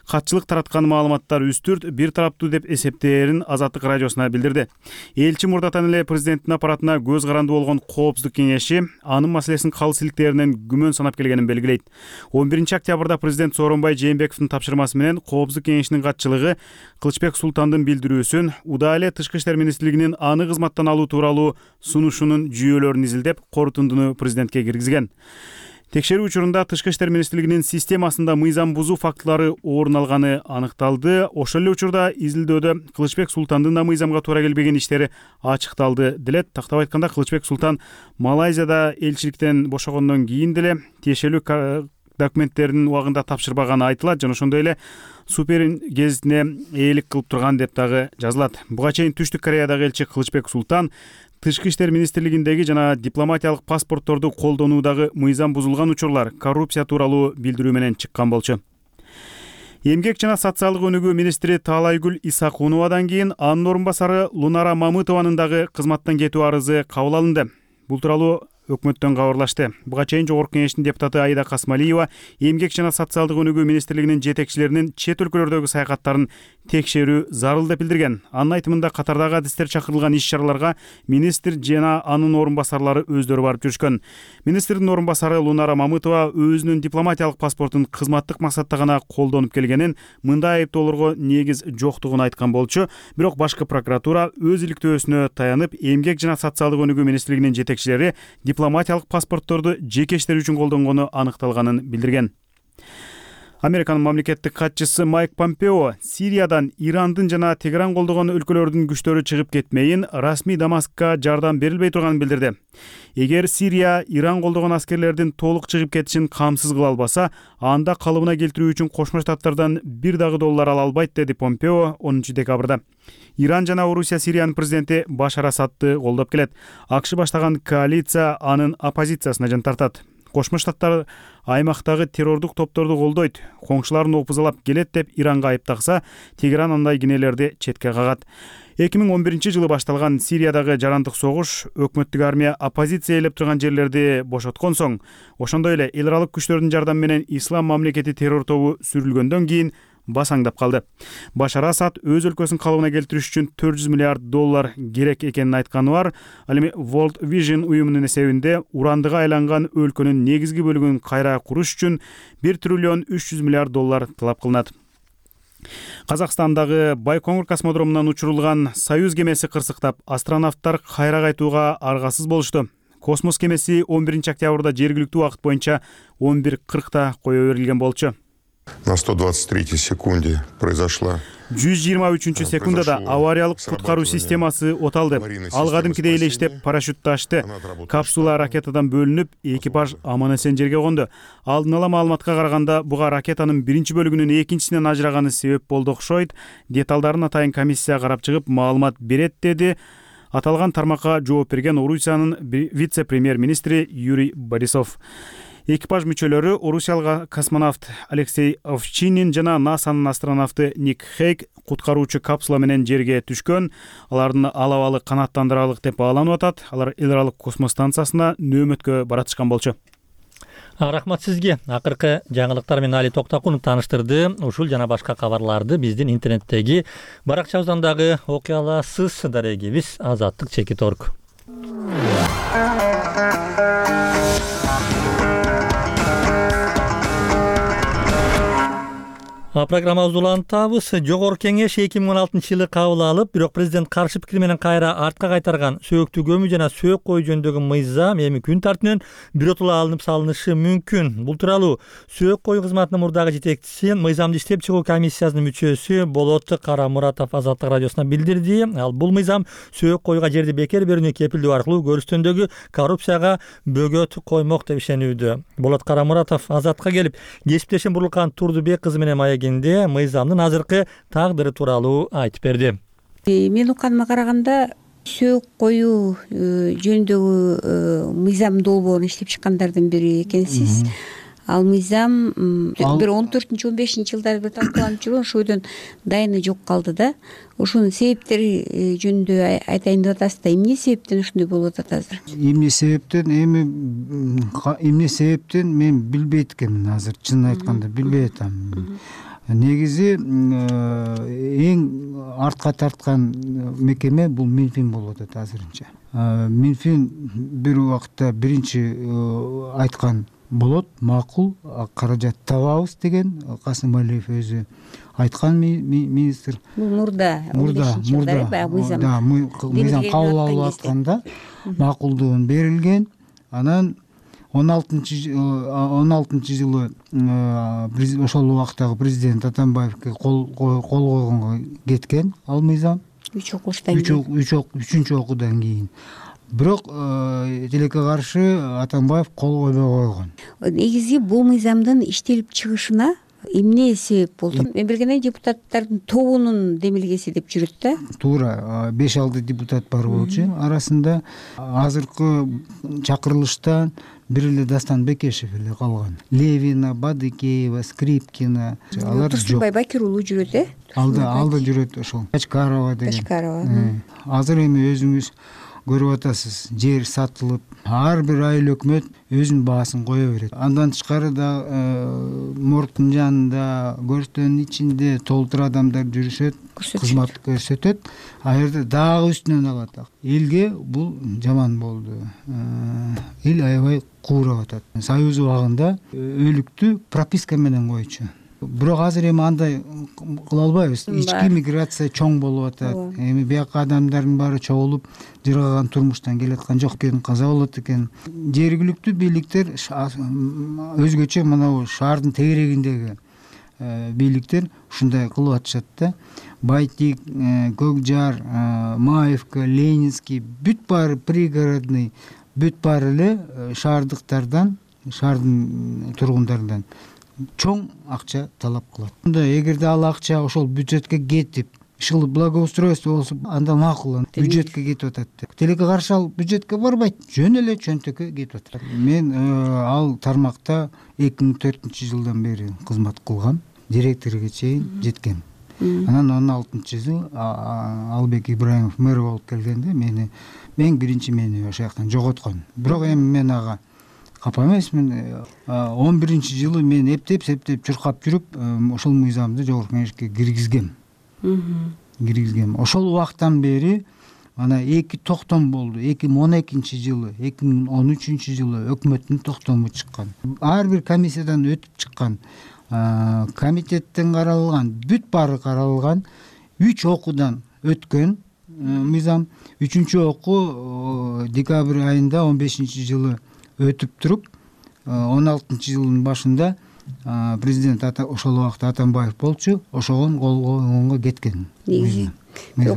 Катчылык тараткан маалыматтар үстүрт, бир тараптуу деп эсептээрин Азаттык радиосуна билдирди. Элчи мурдатан эле президенттин аппаратына көз каранды болгон Коопсуздук кеңеши анын маселесин калыс иликтеринен күмөн санап келгенин белгилейт. 11 октябрда президент Сооронбай Жээнбековдун тапшырмасы менен Коопсуздук кеңешинин катчылыгы Кылычбек Султандын билдирүүсүн, удаа эле Тышкы иштер министрлигинин аны кызматтан алуу тууралуу сунушунун жүйөлөрүн изилдеп, корутундуну президентке киргизген. Текшерүү учурунда Тышкы иштер министрлигинин системасында мыйзам бузуу фактылары орун алганы аныкталды. Ошол эле учурда изилдөөдө Кылычбек Султандын да мыйзамга туура келбеген иштери ачыкталды делет. Тактап айтканда, Кылычбек Султан Малайзияда элчиликтен бошогондон кийин деле тиешелүү документтерин убагында тапшырбаганы айтылат жана ошондой эле Суперин гезитине ээлик кылып турган деп дагы жазылат. Буга чейин Түштүк Кореядагы элчи Кылычбек Султан Тышкы иштер министрлигиндеги жана дипломатиялык паспортторду колдонуудагы мыйзам бузулган учурлар, коррупция тууралуу билдирүү менен чыккан болчу. Эмгек жана социалдык өнүгүү министри Таалайгүл Исакуновадан кийин анын орун басары Лунара Мамытованын дагы кызматтан кетүү арызы кабыл алынды. Бул тууралуу өкмөттөн кабарлашты. Буга чейин Жогорку Кеңештин депутаты Аида Касмалиева Эмгек жана социалдык өнүгүү министрлигинин жетекчилеринин чет өлкөлөрдөгү саякаттарын текшерүү зарыл деп билдирген. Анын айтымында катардагы адистер чакырылган иш-чараларга министр жана анын орун басарлары өздөрү барып жүрүшкөн. Министрдин орун басары Лунара Мамытова өзүнүн дипломатиялык паспортун кызматтык максатта гана колдонуп келгенин, мындай айыптоолорго негиз жоктугун айткан болчу. Бирок башкы прокуратура өз иликтөөсүнө таянып, Эмгек жана социалдык өнүгүү министрлигинин жетекчилери дипломатиялык паспортторду жеке иштер үчүн колдонгону аныкталганын билдирген. Американын мамлекеттик катчысы Майк Помпео Сириядан Ирандын жана Тегеран колдогон өлкөлөрдүн күчтөрү чыгып кетмейин, расмий Дамаскка жардам берилбей турганын билдирди. Эгер Сирия Иран колдогон аскерлердин толук чыгып кетишин камсыз кыла албаса, анда калыбына келтирүү үчүн Кошмо Штаттардан $1 ала албайт, деди Помпео 10 декабрда. Иран жана Орусия Сириянын президенти Башар Асадты колдоп келет. АКШ баштаган коалиция анын оппозициясына жан тартат. Кошмо Штаттар аймактагы террордук топторду колдойт, коңшуларын опузалап келет деп Иранга айыптакса, Тегеран андай кинелерди четке кагат. 2011-жылы башталган Сириядагы жарандык согуш өкмөттүк армия оппозиция ээлеп турган жерлерди бошоткон соң, ошондой эле эл аралык күчтөрдүн жардамы менен Ислам мамлекети террор тобу сүрүлгөндөн кийин басаңдап калды. Башар Асад өз өлкөсүн калыбына келтириш үчүн $400 миллиард керек экенин айтканы бар. Ал эми World Vision уюмунун эсебинде урандыга айланган өлкөнүн негизги бөлүгүн кайра куруш үчүн $1 триллион $300 миллиард талап кылынат. Казакстандагы Байкоңур космодромунан учурулган Союз кемеси кырсыктап, астронавттар кайра кайтууга аргасыз болушту. Космос кемеси 11 октябрда жергиликтүү убакыт боюнча 11:40 кое берилген болчу. На 123-й секунде произошла 123 секундада авариялык куткаруу системасы оталды. Ал кадимкидей эле иштеп, парашютты ачты. Капсула ракетадан бөлүнүп, экипаж аман-эсен жерге конду. Алдын ала маалыматка караганда, буга ракетанын биринчи бөлүгүнүн экинчисинен ажыраганы себеп болду окшойт. Деталдарын атайын комиссия карап чыгып, маалымат берет, деди аталган тармакка жооп берген Орусиянын вице-премьер-министри Юрий Борисов. Экипаж мүчөлөрү орусиялык космонавт Алексей Овчинин жана НАСАнын астронавты Ник Хейк куткаруучу капсула менен жерге түшкөн. Алардын алабалы канаттандыралык деп бааланып атат. Алар эл аралык космос станциясына нөөмөткө баратышкан болчу. Рахмат сизге. Акыркы жаңылыктар менен Али Токтакунов тааныштырды. Ушул жана башка кабарларды биздин интернеттеги баракчабыздан дагы окуй аласыз. Дарегибиз azattik.org. Программабызды улантабыз. Жогорку Кеңеш 2016-жылы кабыл алып, бирок президент каршы пикир менен кайра артка кайтарган сөөктү көмүү жана сөөк коюу жөнүндөгү мыйзам эми күн тартибинен биротула алынып салынышы мүмкүн. Бул тууралуу сөөк коюу кызматынын мурдагы жетекчиси, мыйзамды иштеп чыгуу комиссиясынын мүчөсү Болот Карамуратов Азаттык радиосуна билдирди. Ал бул мыйзам сөөк коюуга жерди бекер берүүнү кепилдөө аркылуу көрүстөндөгү коррупцияга бөгөт коймок деп ишенүүдө. Болот Карамуратов Азатка келип, кесиптешим Бурлукан Турдубек кызы менен мыйзамдын азыркы тагдыры тууралуу айтып берди. Мен укканыма караганда сөөк коюу жөнүндөгү мыйзам долбоорун иштеп чыккандардын бири экенсиз. Ал мыйзам бир 14-15 жылдары бир талкууланып жүргөн, ошодон дайыны жок калды да. Ошонун себептери жөнүндө айтайын деп атасыз да, эмне себептен ушундай болуп атат азыр? Эмне себептен мен билбейт экенмин азыр, чынын айтканда билбей атам. Негизи эң артка тарткан мекеме бул Минфин болуп атат азырынча. Минфин бир убакытта биринчи айткан болот, макул, каражат табабыз деген Касым Алиев өзү айткан министр. Бул мурда мыйзам кабыл алып атканда макулдугун берилген. Анан 16-жылы ошол убактагы президент Атамбаевке кол койгонго кеткен ал мыйзам. 3-үчүнчү окуудан кийин. Бирок тилекке каршы Атамбаев кол койбой койгон. Негизи бул мыйзамдын иштелип чыгышына эмне себеп болду? Мен билгендей депутаттардын тобунун демилгеси деп жүрөт да. Туура, 5-6 депутат бар болчу. Арасында азыркы чакырылыштан бир эле Дастан Бекешев эле калган. Левина, Бадыкеева, Скрипкина алар жок. Турсунбай Бакир уулу жүрөт, Алда жүрөт ошол. Качкарова деген. Качкарова. Азыр эми өзүңүз көрүп атасыз, жер сатылып, ар бир айыл өкмөт өзүнүн баасын кое берет. Андан тышкары да мордтун жанында, көрстөнүн ичинде толтур адамдар жүрүшөт, кызмат көрсөтөт. А жерде дагы үстүнөн алат. Элге бул жаман болду. Эл аябай куурап атат. Союз убагында өлүктү прописка менен койчу. Бирок азыр эми андай кыла албайбыз. Ички миграция чоң болуп атат. Эми бияка адамдардын баары чогулуп, жыргаган турмуштан келаткан жок экен, каза болот экен. Жергиликтүү бийликтер өзгөчө мына шаардын тегерегиндеги бийликтер ушундай кылып атышат да. Байтик, Көкжар, Маевка, Ленинский бүт баары пригородный, бүт баары эле шаардыктардан, шаардын тургундарынан чоң акча талап кылат. Эгерде ал акча ошол бюджетке кетип, ишыл благоустройство болсо, анда макул, бюджетке кетип атат. Тилекке каршы ал бюджетке барбайт, жөн эле чөнтөккө кетип атат. Мен ал тармакта 2004-жылдан бери кызмат кылгам, директорго чейин жеткем. Анан 16-жыл Албек Ибраимов мэр болуп келгенде мен биринчи мени ошол жактан жоготкон. Бирок эми мен ага капа эмесмин. 11-жылы мен эптеп чуркап жүрүп, ошол мыйзамды жогорку кеңешке киргизгем. Ошол убактан бери ана 2 токтом болду. 2012-жылы, 2013-жылы өкмөттүн токтому чыккан. Ар бир комиссиядан өтүп чыккан. Комитеттен каралган, бүт баары каралган, 3 окуудан өткөн мыйзам. 3-чү окуу декабрь айында 15-жылы өтүп туруп, 16-жылдын башында президент ошол убакта Атамбаев болчу, ошогон кол койгонго кеткен. Негизи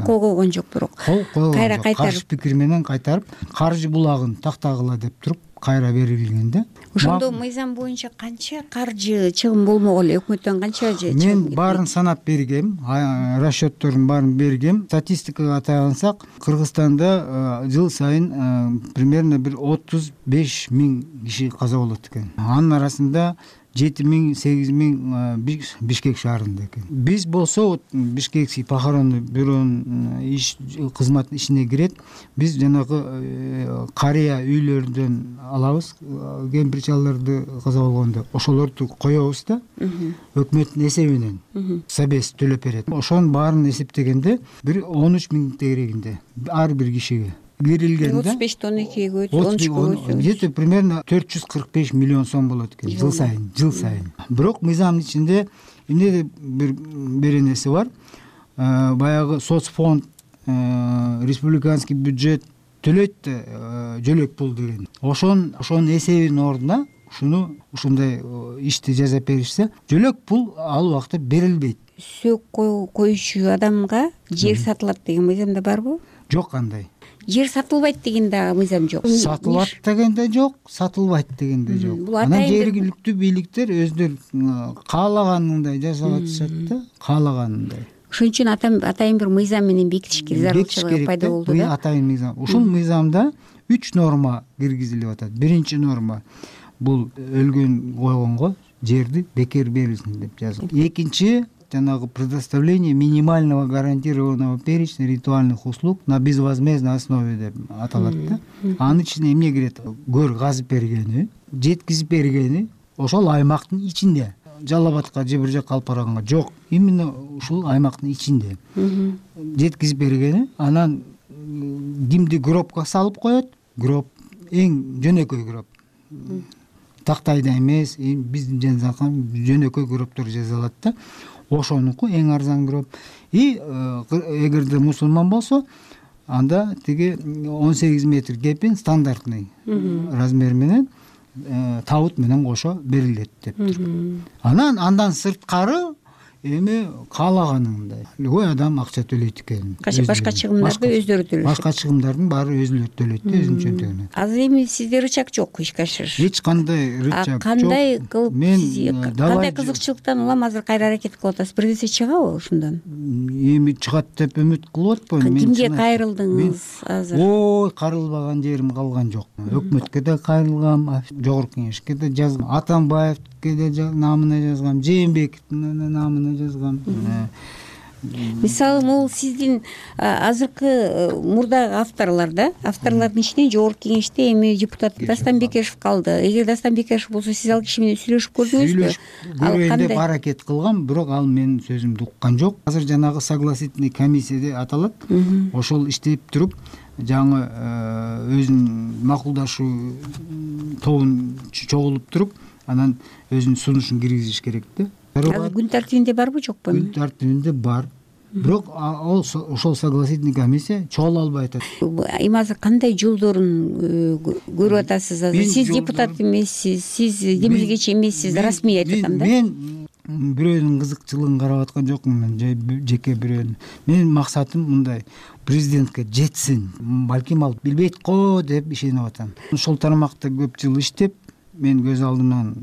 кол койгон жок, бирок кайра кайтарып, каршы пикир менен кайтарып, каржы булагын тактагыла деп туруп кайра берилгенде. Ошондо мыйзам боюнча канча каржы чыгым болмок эле, өкмөттөн канча же? Мен баарын санап бергем, расчеттордун баарын бергем. Статистикага таяансак, Кыргызстанда жыл сайын примерно бир 35 000 киши каза болот экен. Анын арасында 7 000, 8 000 Бишкек шаарында экен. Биз болсо Бишкекский похоронный бюронун кызмат ишине кирет. Биз жанагы карыя үйлөрдөн алабыз, кемпир-чалдарды каза болгондо ошолорду коебуз да, өкмөттүн эсебинен собес төлөп берет. Ошонун баарын эсептегенде бир 13 000 тегерегинде ар бир кишиге кирилгенде 35-тон 2-ге 13-кө где-то примерно 445 миллион сом болот экен жыл сайын. Бирок мыйзамдын ичинде эмне бир нерсе бар. Баягы соцфонд, республиканский бюджет төлөйт да, жөлөк пул деген. Ошонун эсебинин ордуна ушундай ишти жасап беришсе, жөлөк пул ал убакта берилбейт. Сөк коюучу адамга жер сатылат деген мыйзамда барбы? Жок андай. Жер сатылбайт деген да мыйзам жок. Сатылат деген да жок, сатылбайт деген да жок. Анан жергиликтүү бийликтер өздөрү каалаганындай жасап атышат да, каалаганындай. Ошон үчүн атайын бир мыйзам менен бекитиш зарылчылыгы пайда болду да. Атайын мыйзам. Ушул мыйзамда 3 норма киргизилип атат. Биринчи норма бул өлгөн койгонго жерди бекер берилсин деп жазылган. Экинчи жанагы предоставление минимального гарантированного перечня ритуальных услуг на безвозмездной основе деп аталат да. Анын ичине эмне кирет? Көр казып бергени, жеткизип бергени ошол аймактын ичинде. Жалал Абадка же бир жакка алып барганга жок, именно ушул аймактын ичинде. Жеткизип бергени, анан кимди гробко салып коет? Гроб эң жөнөкөй гроб. Тактайда эмес, биздин жөнөкөй гробдор жасалат да. Ошонуку эң арзан гроб. Эгерде мусулман болсо, анда тиги 18 метр кепин стандартный размер менен табут менен кошо берилет деп туруп. Андан сырткары эми каалаганындай. Любой адам акча төлөйт экен. Башка чыгымдарды өздөрү төлөйт. Башка чыгымдардын баары өзүлөрү төлөйт да, өзүнүн чөнтөгүнө. Азыр эми сизде рычаг жок ишке ашырыш. Эч кандай рычаг жок. Кандай кылып кандай кызыкчылыктан улам азыр кайра аракет кылып атасыз? Бир нерсе чыгабы ушундан? Эми чыгат деп үмүт кылып атпайм. Кимге кайрылдыңыз азыр? Ой, кайрылбаган жерим калган жок. Өкмөткө да кайрылгам, жогорку кеңешке да жазгам, Атамбаевке да намына жазгам, Жээнбековдун намына жазгам. мисалы могул сиздин азыркы мурдагы авторлордун ичинен жогорку кеңеште эми депутат Дастан Бекешев калды. Эгер Дастан Бекешев болсо сиз ал киши менен сүйлөшүп көрдүңүзбү? Көрөйүн деп аракет кылгам, бирок ал менин сөзүмдү уккан жок. Азыр жанагы согласительный комиссия деп аталат. Ошол иштеп туруп жаңы өзүнүн макулдашуу тобун чогулуп туруп, анан өзүнүн сунушун киргизиш керек да. Азыр күн тартибинде барбы жокпу? Күн тартибинде бар. Бирок ошол согласительный комиссия чогула албай атат. Эми азыр кандай жолдорун көрүп атасыз? Азыр сиз депутат эмессиз, сиз демилгечи эмессиз, расмий айтып атканда. Мен бирөөнүн кызыкчылыгын карап аткан жокмун, мен жеке бирөөнүн. Менин максатым мындай: президентке жетсин. Балким ал билбейт го деп ишенип атам. Ошол тармакта көп жыл иштеп, мен көз алдымдан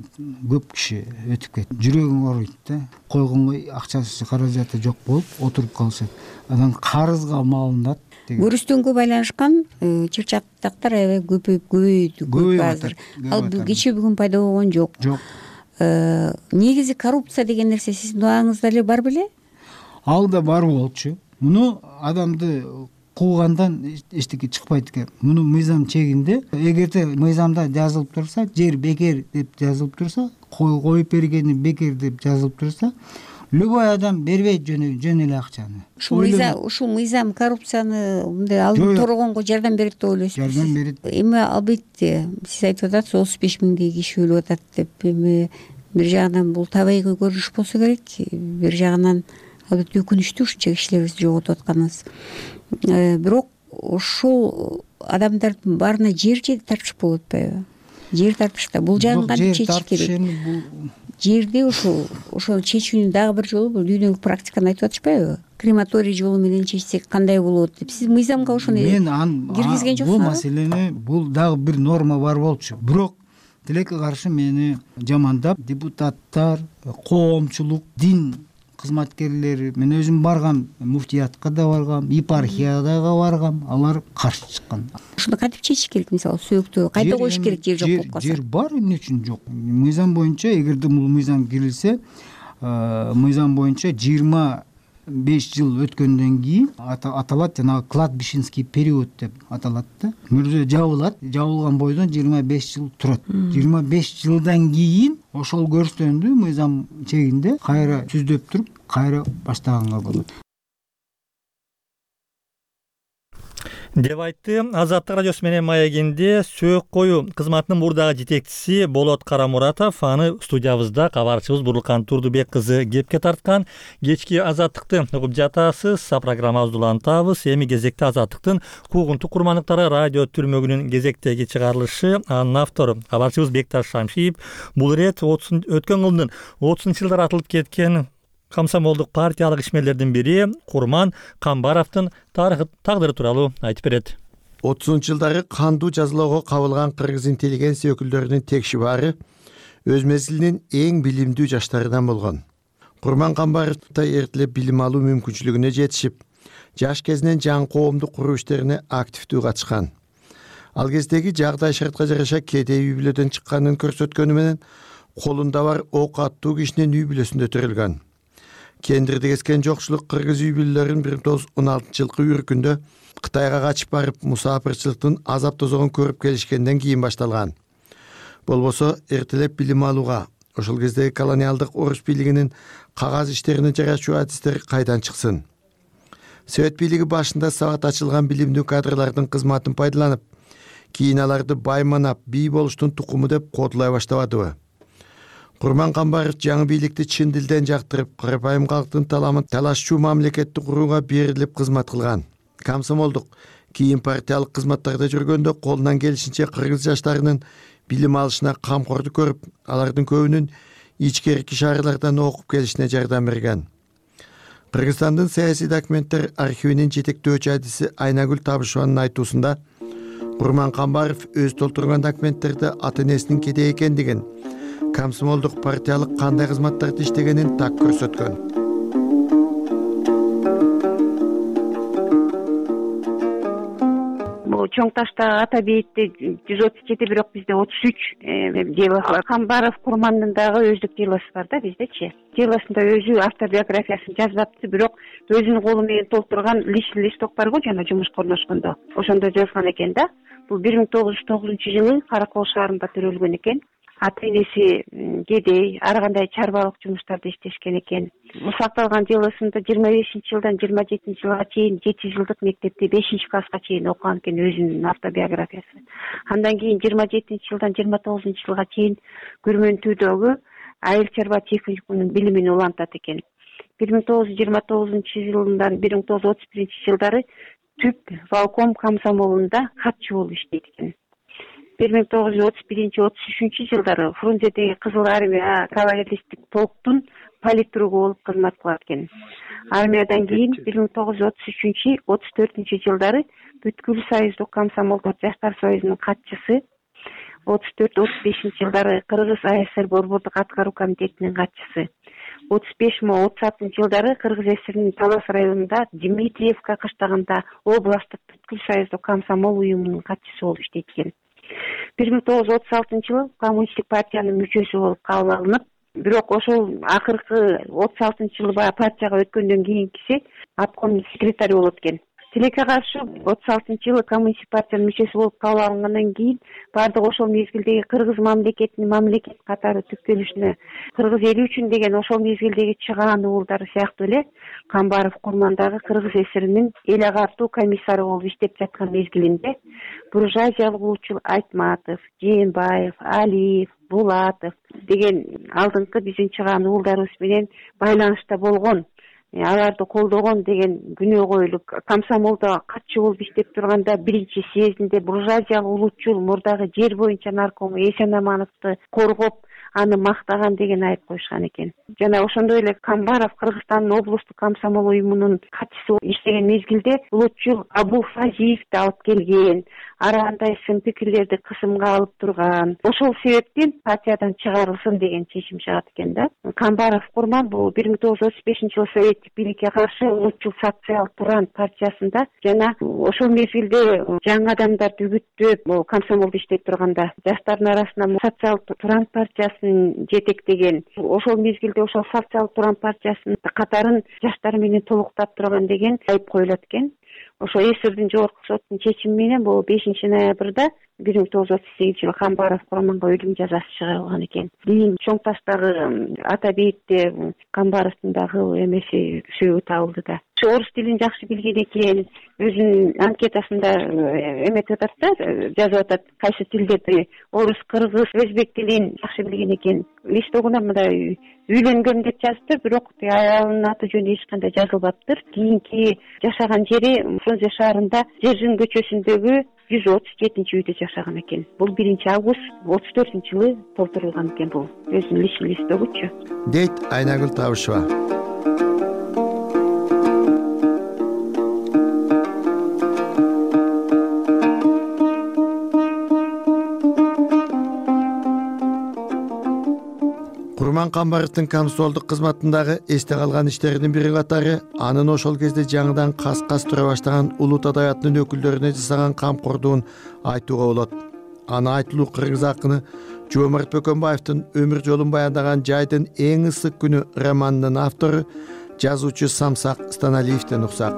көп киши өтүп кетти. Жүрөгүң ооруйт да. Койгонго акчасы, каражаты жок болуп отуруп калышат. Анан карызга малынат. Көрүстөнгө байланышкан чырчактактар аябай көбөйдү азыр. Ал кечээ бүгүн пайда болгон жок. Жок. Негизи коррупция деген нерсе сиздин убагыңызда эле бар беле? Ал да бар болчу. Муну адамды куугандан эчтеке чыкпайт экен. Муну мыйзам чегинде, эгерде мыйзамда жазылып турса, жер бекер деп жазылып турса, коюп бергени бекер деп жазылып турса, любой адам бербейт жөн эле акчаны. Ушул мыйзам коррупцияны мындай алып торгонго жардам берет деп ойлойсузбу? Жардам берет. Эми албетте сиз айтып атасыз 35 миңдей киши өлүп атат деп. Эми бир жагынан бул табигый көрүнүш болсо керек, бир жагынан албетте өкүнүчтүү ушунча кишилерибизди жоготуп атканыбыз. Бирок ошол адамдардын баарына жер тартышып болуп атпайбы? Жер тартышта бул жагын кантип чечиш керек? Жерди ошол чечүүнүн дагы бир жолу бул дүйнөлүк практиканы айтып атышпайбы? Крематорий жолу менен чечсек кандай болот деп. Сиз мыйзамга ошону киргизген жоксуңузбу? Бул маселени, бул дагы бир норма бар болчу. Бирок тилекке каршы мени жамандап депутаттар, коомчулук, дин кызматкерлери, мен өзүм баргам, муфтиятка да баргам, епархияга баргам, алар каршы чыккан. Ушуну кантип чечиш керек? Мисалы сөөктү кайда коюш керек жер жок болуп калса? Жер бар, эмне үчүн жок? Мыйзам боюнча, эгерде бул мыйзам кирилсе, мыйзам боюнча 25 жыл өткөндөн кийин аталат, жанагы кладбищенский период деп аталат да. Мүрзө жабылат, жабылган бойдон 25 жыл турат. 25 жылдан кийин ошол көрсөтөндү мыйзам чегинде кайра түздөп туруп, кайра баштаганга болот. деп айтты Азаттык радиосу менен маегинде сөөк коюу кызматынын мурдагы жетекчиси Болот Карамуратов. Аны студиябызда кабарчыбыз Бурлукан Турдубек кызы кепке тарткан. Кечки Азаттыкты угуп жатасыз. Программабызды улантабыз. Эми кезекте Азаттыктын куугунтук курмандыктары радио түрмөгүнүн кезектеги чыгарылышы. Анын автору кабарчыбыз Бекташ Шамшиев. Бул ирет өткөн жылдын 30-жылдары атылып кеткен комсомолдук партиялык ишмерлердин бири Курман Камбаровдун тагдыры тууралуу айтып берет. 30-жылдары кандуу жазалоого кабылган кыргыз интеллигенция өкүлдөрүнүн текшибаары өз мезгилинин эң билимдүү жаштарынан болгон. Курман Камбаров эртелеп билим алуу мүмкүнчүлүгүнө жетишип, жаш кезинен жаңы коомдук куруу иштерине активдүү катышкан. Ал кездеги жагдай шартка жараша кедей үй бүлөдөн чыкканын көрсөткөнү менен колунда бар ок аттуу кишинин үй бүлөсүндө төрөлгөн. Кендирди кескен жокчулук кыргыз үй бүлөлөрүн 1916-жылкы үркүндө Кытайга качып барып мусафирчылыктын азап тозогун көрүп келишкенден кийин башталган. Болбосо эртелеп билим алууга, ошол кездеги колониалдык орус бийлигинин кагаз иштерине жарачуу адистери кайдан чыксын? Совет бийлиги башында сабат ачылган билимдүү кадрлардын кызматын пайдаланып, кийин аларды байманап, бий болуштун тукуму деп кодулай баштабадыбы? Курман Камбаров жаңы бийликти чын дилден жактырып, карапайым калктын таламын талашчу мамлекетти курууга берилип кызмат кылган. Комсомолдук, кийин партиялык кызматтарда жүргөндө колунан келишинче кыргыз жаштарынын билим алышына камкордук көрүп, алардын көбүнүн ичкерки шаарлардан окуп келишине жардам берген. Кыргызстандын саясий документтер архивинин жетектөөчү адиси Айнагүл Табышеванын айтуусунда Курман Камбаров өз толтурган документтерде ата-энесинин кедей экендигин, комсомолдук партиялык кандай кызматтарды иштегенин так көрсөткөн. Бул Чоң Таштагы Ата бейитте 137, бирок бизде 33 делосы бар. Камбаров Курмандын дагы өздүк делосы бар да биздечи. Делосунда өзү автобиографиясын жазбапты, бирок өзүнүн колу менен толтурган личный листок бар го, жана жумушка орношкондо. Ошондо жазган экен да. Бул 1909-жылы Каракол шаарында төрөлгөн экен. Ата энеси кедей, ар кандай чарбалык жумуштарды иштешкен экен. Сакталган делосунда 25-жылдан 27-жылга чейин 7 жылдык мектепте 5-класска чейин окуган экен, өзүнүн автобиографиясы. Андан кийин 27-жылдан 29-жылга чейин Күрмөнтүүдөгү айыл чарба техникумунун билимин улантат экен. 1929-жылдар, 1931-жылдары Түп Волком комсомолунда катчы болуп иштейт экен. 1931-33 жылдары Фрунзедеги Кызыл армия кавалеристик полктун политругу болуп кызмат кылат экен. Армиядан кийин 1933-34 жылдары Бүткүл союздук комсомолдор жаштар союзунун катчысы, 34-35 жылдары Кыргыз АСР борбордук аткаруу комитетинин катчысы, 35-36 жылдары Кыргыз ССРнин Талас районунда Дмитриевка кыштагында областтык Бүткүл союздук комсомол уюмунун катчысы болуп иштейт экен. 1936 коммунисттик партиянын мүчөсү болуп кабыл алынып, бирок ошол акыркы 36 жылы партияга өткөндөн кийинкиси обком секретарь болот экен. Тилекке каршы 36 жылы коммунисттик партиянын мүчөсү болуп кабыл алынгандан кийин бардык ошол мезгилдеги кыргыз мамлекетинин мамлекет катары түптөлүшүнө кыргыз эли үчүн деген ошол мезгилдеги чыгаан уулдары сыяктуу эле Камбаров Курмандагы Кыргыз ССРинин эл агартуу комиссары болуп иштеп жаткан мезгилинде буржуазиялык улутчул Айтматов, Жээнбаев, Алиев, Булатов деген алдыңкы биздин чыгаан уулдарыбыз менен байланышта болгон, аларды колдогон деген күнөө коюлуп, комсомолдо катчы болуп иштеп турганда 1-съездинде буржуазиялык улутчул мурдагы жер боюнча наркому Эсен Амановду коргоп, аны мактаган деген айып коюшкан экен. Жана ошондой эле Камбаров Кыргызстандын облустук комсомол уюмунун катчысы иштеген мезгилде улутчул Абу Фазиевди алып келген, ар кандай сын пикирлерди кысымга алып турган. Ошол себептен партиядан чыгарылсын деген чечим чыгат экен да. Камбаров Курман бул 1935-жылы советтик бийликке каршы улутчул социал Туран партиясында жана ошол мезгилде жаңы адамдарды үгүттөп, комсомолдо иштеп турганда жаштардын арасында социал Туран партиясын жетектеген, ошол мезгилде ошол социал Туран партиясынын катарын жаштар менен толуктап турган деген айып коюлат экен. Ошо ССРдин жогорку сотунун чечими менен бул 5-ноябрда 1938-жылы Камбаров Курманга өлүм жазасы чыгарылган экен. Кийин Чоң Таштагы Ата бейитте Камбаровдун дагы эмеси сөөгү табылды да. Орус тилин жакшы билген экен, өзүнүн анкетасында эметип атат да, жазып атат, кайсы тилдерди орус, кыргыз, өзбек тилин жакшы билген экен. Листогуна мындай үйлөнгөн деп жазыптыр, бирок аялынын аты жөнү эч кандай жазылбаптыр. Кийинки жашаган жери Фрунзе шаарында Жержин көчөсүндөгү 137-үйдө жашаган экен. Бул 1-август 34-жылы толтурулган экен бул өзүнүн личный листогучу. Дейт Айнагүл Табышева. Курман Камбаровдун комсомолдук кызматындагы эсте калган иштеринин бири катары анын ошол кезде жаңыдан кас-кас тура баштаган улут адабиятынын өкүлдөрүнө жасаган камкордугун айтууга болот. Аны айтылуу кыргыз акыны Жоомарт Бөкөнбаевдин өмүр жолун баяндаган Жайдын эң ысык күнү романынын автору жазуучу Самсак Станалиевден уксак.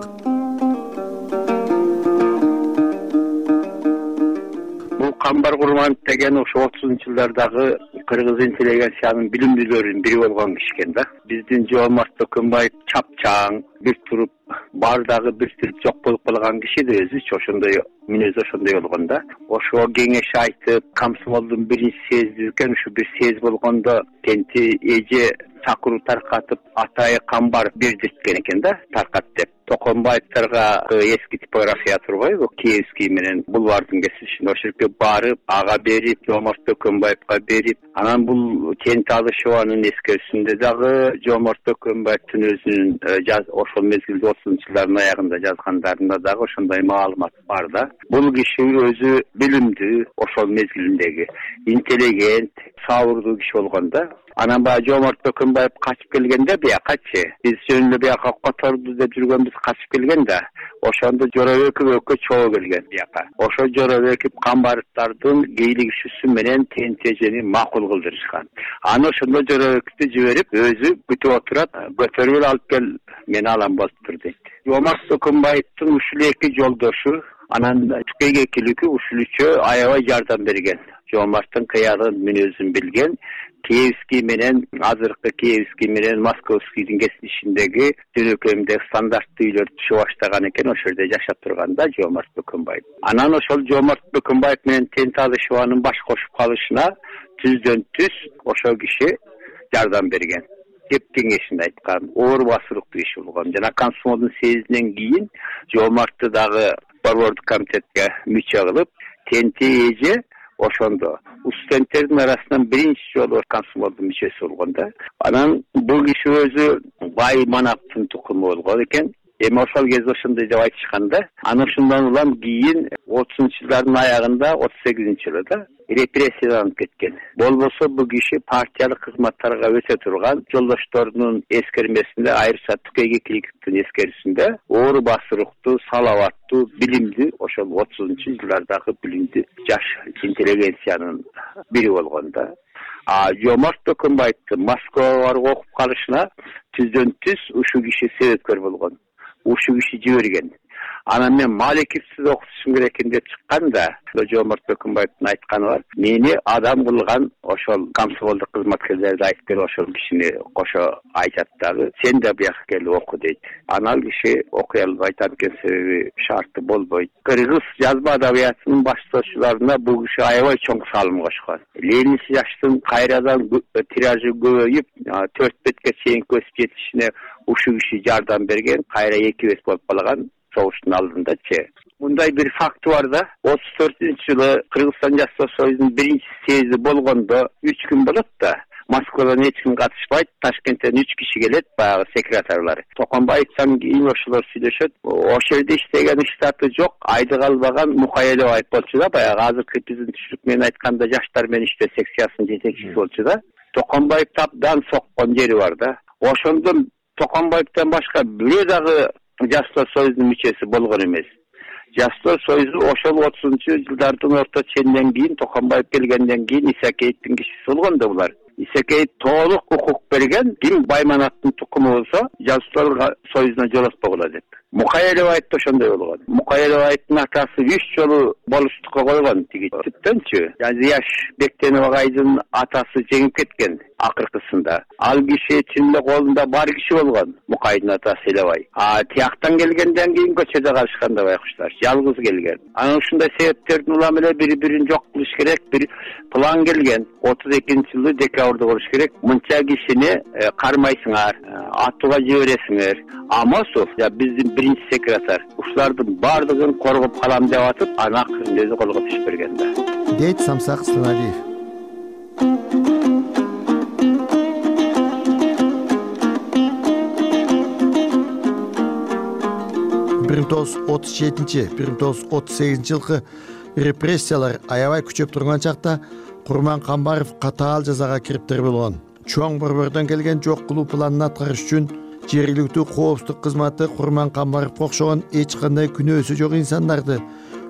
Камбар Курманов деген ошо 30-жылдардагы кыргыз интеллигенциянын билимдүүлөрүнүн бири болгон киши экен да. Биздин Жоомарт Бөкөнбаев чапчаң, бир туруп бардагы бир туруп жок болуп калган киши да өзүчү ошондой мүнөзү ошондой болгон да. Ошо кеңеш айтып, комсомолдун биринчи съезди экен, ушу бир съезд болгондо тенти эже чакыруу таркатып, Атайы Камбар бердирткен экен да, таркат деп. Токонбаевдарга эски типография турбайбы, Киевский менен бульвардын кесилишинде ошол жерге барып, ага берип, Жоомарт Бөкөнбаевга берип, анан бул Тенти Алышеванын эскерүүсүндө дагы Жоомарт Бөкөнбаевдин өзүнүн ошол мезгилде 30-жылдардын аягында жазгандарында дагы ошондой маалымат бар да. Бул киши өзү билимдүү, ошол мезгилиндеги интеллигент, сабырдуу киши болгон да. Анан баягы Жоомарт Бөкөнбаев качып келгенде биякачы биз жөнүндө бияка которду деп жүргөнбүз, качып келген да ошондо Жоробеков экөө чогуу келген бияка. Ошо Жоробеков Камбаровдардын кийлигишүүсү менен ТНТЖни макул кылдырышкан. Аны ошондо Жоробековду жиберип өзү күтүп отурат, көтөрүп алып кел, мен алам болуптур дейт. Жоомарт Бөкөнбаевдин ушул эки жолдошу анан Түкейге келүүгө ушул үчөө аябай жардам берген. Жоомарттын кыягын мүнөзүн билген, Киевский менен азыркы Киевский менен Московскийдин кесилишиндеги жөнөкөйүмдөгү стандарттуу үйлөр түшө баштаган экен, ошол жерде жашап турганда Жоомарт Бөкөнбаев. Анан ошол Жоомарт Бөкөнбаев менен тең тазышыбанын баш кошуп калышына түздөн түз ошол киши жардам берген. Кеп кеңешинде айткан, оор басырыктуу киши болгон. Жана комсомолдун съездинен кийин Жоомартты дагы борбордук комитетке мүчө кылып, ТНТЖ ошондо студенттердин арасынан биринчи жолу комсомолдун мүчөсү болгон да. Анан бул киши өзү бай манаптын тукуму болгон экен. Эми ошол кезде ошондой деп айтышканда, анан ушундан улам кийин 30-жылдардын аягында 38-жылда репрессияланып кеткен. Болбосо бул киши партиялык кызматтарга өтө турган жолдошторунун эскермесинде, айрыкча Түкейге Киликовдун эскерүүсүндө оор басырыктуу, салаваттуу, билимдүү, ошол 30-жылдардагы билимдүү жаш интеллигенциянын бири болгон да. Жоомарт Бөкөнбаевдин Москвага барып окуп калышына түздөн түз ушул киши себепкер болгон. Ушул киши жиберген. Анан мен Маликовсуз окутушум керек экен деп чыкканда, Жоомарт Бөкөнбаевдин айтканы бар. Мени адам кылган ошол комсомолдук кызматкерлерди айтып кел, ошол кишини кошо айтат дагы, сен да бияка келип оку дейт. Анан киши окуй албай атат экен, себеби шарты болбойт. Кыргыз жазба адабиятынын баштоочуларына бул киши аябай чоң салым кошкон. Ленин жаштын кайрадан тиражы көбөйүп, 4 бетке чейин көсүп жетишине ушул киши жардам берген, кайра 2 бет болуп калган согуштун алдындачы. Мындай бир факт бар да, 34-жылы Кыргызстан Жаштар союзунун биринчи съезди болгондо 3 күн болот да. Москвадан эч ким катышпайт, Ташкенттен 3 киши келет, баягы секретарлар. Токонбаевден кийин ошолор сүйлөшөт. Ошол жерде иштеген штаты жок, айдык албаган Мухаелов болчу да, баягы азыркы биздин түшүрүк менен айтканда жаштар менен иштөө секциясынын жетекчиси болчу да. Токонбаев таптан соккон жери бар да. Ошондон Токонбаевден башка бирөө дагы Жаштар союзунун мүчөсү болгон эмес. Жаштар союзу ошол 30-жылдардын орто ченинен кийин, Токонбаев келгенден кийин Исакеевдин кишиси болгон да булар. Исакеев толук укук берген, ким Байманаттын тукуму болсо, Жаштар союзуна жолотпогула деп. Мухаелов айтты ошондой болгон. Мухаелов айттын атасы 3 жолу болуштукка койгон тиги типтенчү. Зияш Бектенов агайдын атасы жеңип кеткен акыркысында. Ал киши чынында колунда бар киши болгон. Мукайдын атасы Элебай. Тияктан келгенден кийин көчөдө калышканда байкуштар, жалгыз келген. Анан ушундай себептердин улам эле бири-бирин жок кылыш керек, бир план келген. 32-жылы декабрда болуш керек. Мынча кишини кармайсыңар, атууга жибересиңер. Амосов, биздин биринчи секретарь, ушулардын бардыгын коргоп калам деп атып, анан акырында өзү колго түшүп берген да. Дейт Самсак Сланалиев. бир 1937-1938 жылкы репрессиялар аябай күчөп турган чакта Курман Камбаров катаал жазага кириптер болгон. Чоң борбордон келген жок кылуу планын аткарыш үчүн жергиликтүү коопсуздук кызматы Курман Камбаровго окшогон эч кандай күнөөсү жок инсандарды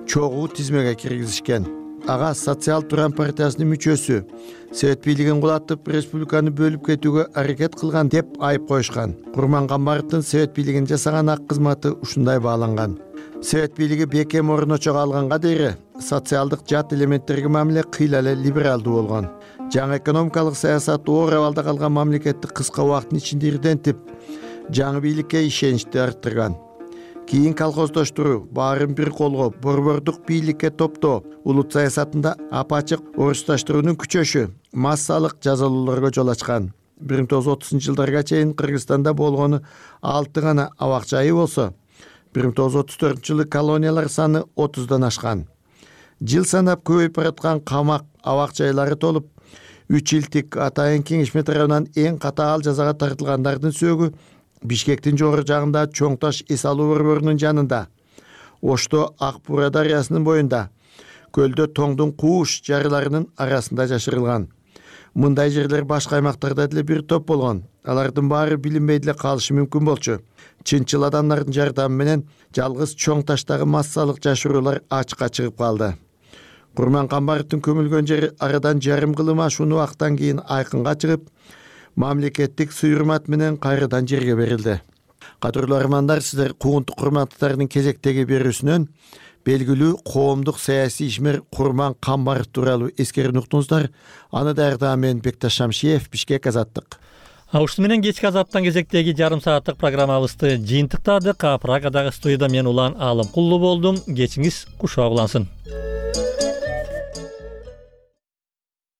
чогуу тизмеге киргизишкен. Ага Социал Туран партиясынын мүчөсү, Совет бийлигин кулатып, республиканы бөлүп кетүүгө аракет кылган деп айып коюшкан. Курман Камбаровдун Совет бийлигин жасаган ак кызматы ушундай бааланган. Совет бийлиги бекем орночого алганга дейре социалдык жат элементтерге мамиле кыйла эле либералдуу болгон. Жаңы экономикалык саясат оор абалда калган мамлекетти кыска убакыттын ичинде ирдентип, жаңы бийликке ишеничти арттырган. Кийин колхоздоштуруу, баарын бир колго, борбордук бийликке топтоо, улут саясатында апачык орусташтыруунун күчөшү массалык жазалоолорго жол ачкан. 1930-жылдарга чейин Кыргызстанда болгону 6 гана абак жайы болсо, 1934-жылы колониялар саны 30дан ашкан. Жыл санап көбөйүп бараткан камак абак жайлары толуп, 3 жылдык атайын кеңешме тарабынан эң катаал жазага тартылгандардын сөөгү Бишкектин жогору жагында Чоң таш эс алуу борборунун жанында, Ошто Ак Бура дарыясынын боюнда, көлдө тоңдун кууш жарыларынын арасында жашырылган. мындай жерлер башка аймактарда деле бир топ болгон. Алардын баары билинбей деле калышы мүмкүн болчу. Чынчыл адамдардын жардамы менен жалгыз чоң таштагы массалык жашыруулар ачыкка чыгып калды. Курман Камбаровдун көмүлгөн жери арадан жарым кылым ашуун убакыттан кийин айкынга чыгып, мамлекеттик суйрмат менен кайрадан жерге берилди. Кадырлуу армандар, сиздер куугунтук курматтардын кезектеги берүүсүнөн белгилүү коомдук саясий ишмер Курман Камбаров тууралуу эскерип уктуңуздар. Аны даярдаган мен Бекташ Шамшиев, Бишкек, Азаттык. Ушуну менен кечки Азаттан кезектеги жарым сааттык программабызды жыйынтыктадык. Прагадагы студияда мен Улан Алымкулуу болдум. Кечиңиз кушак улансын.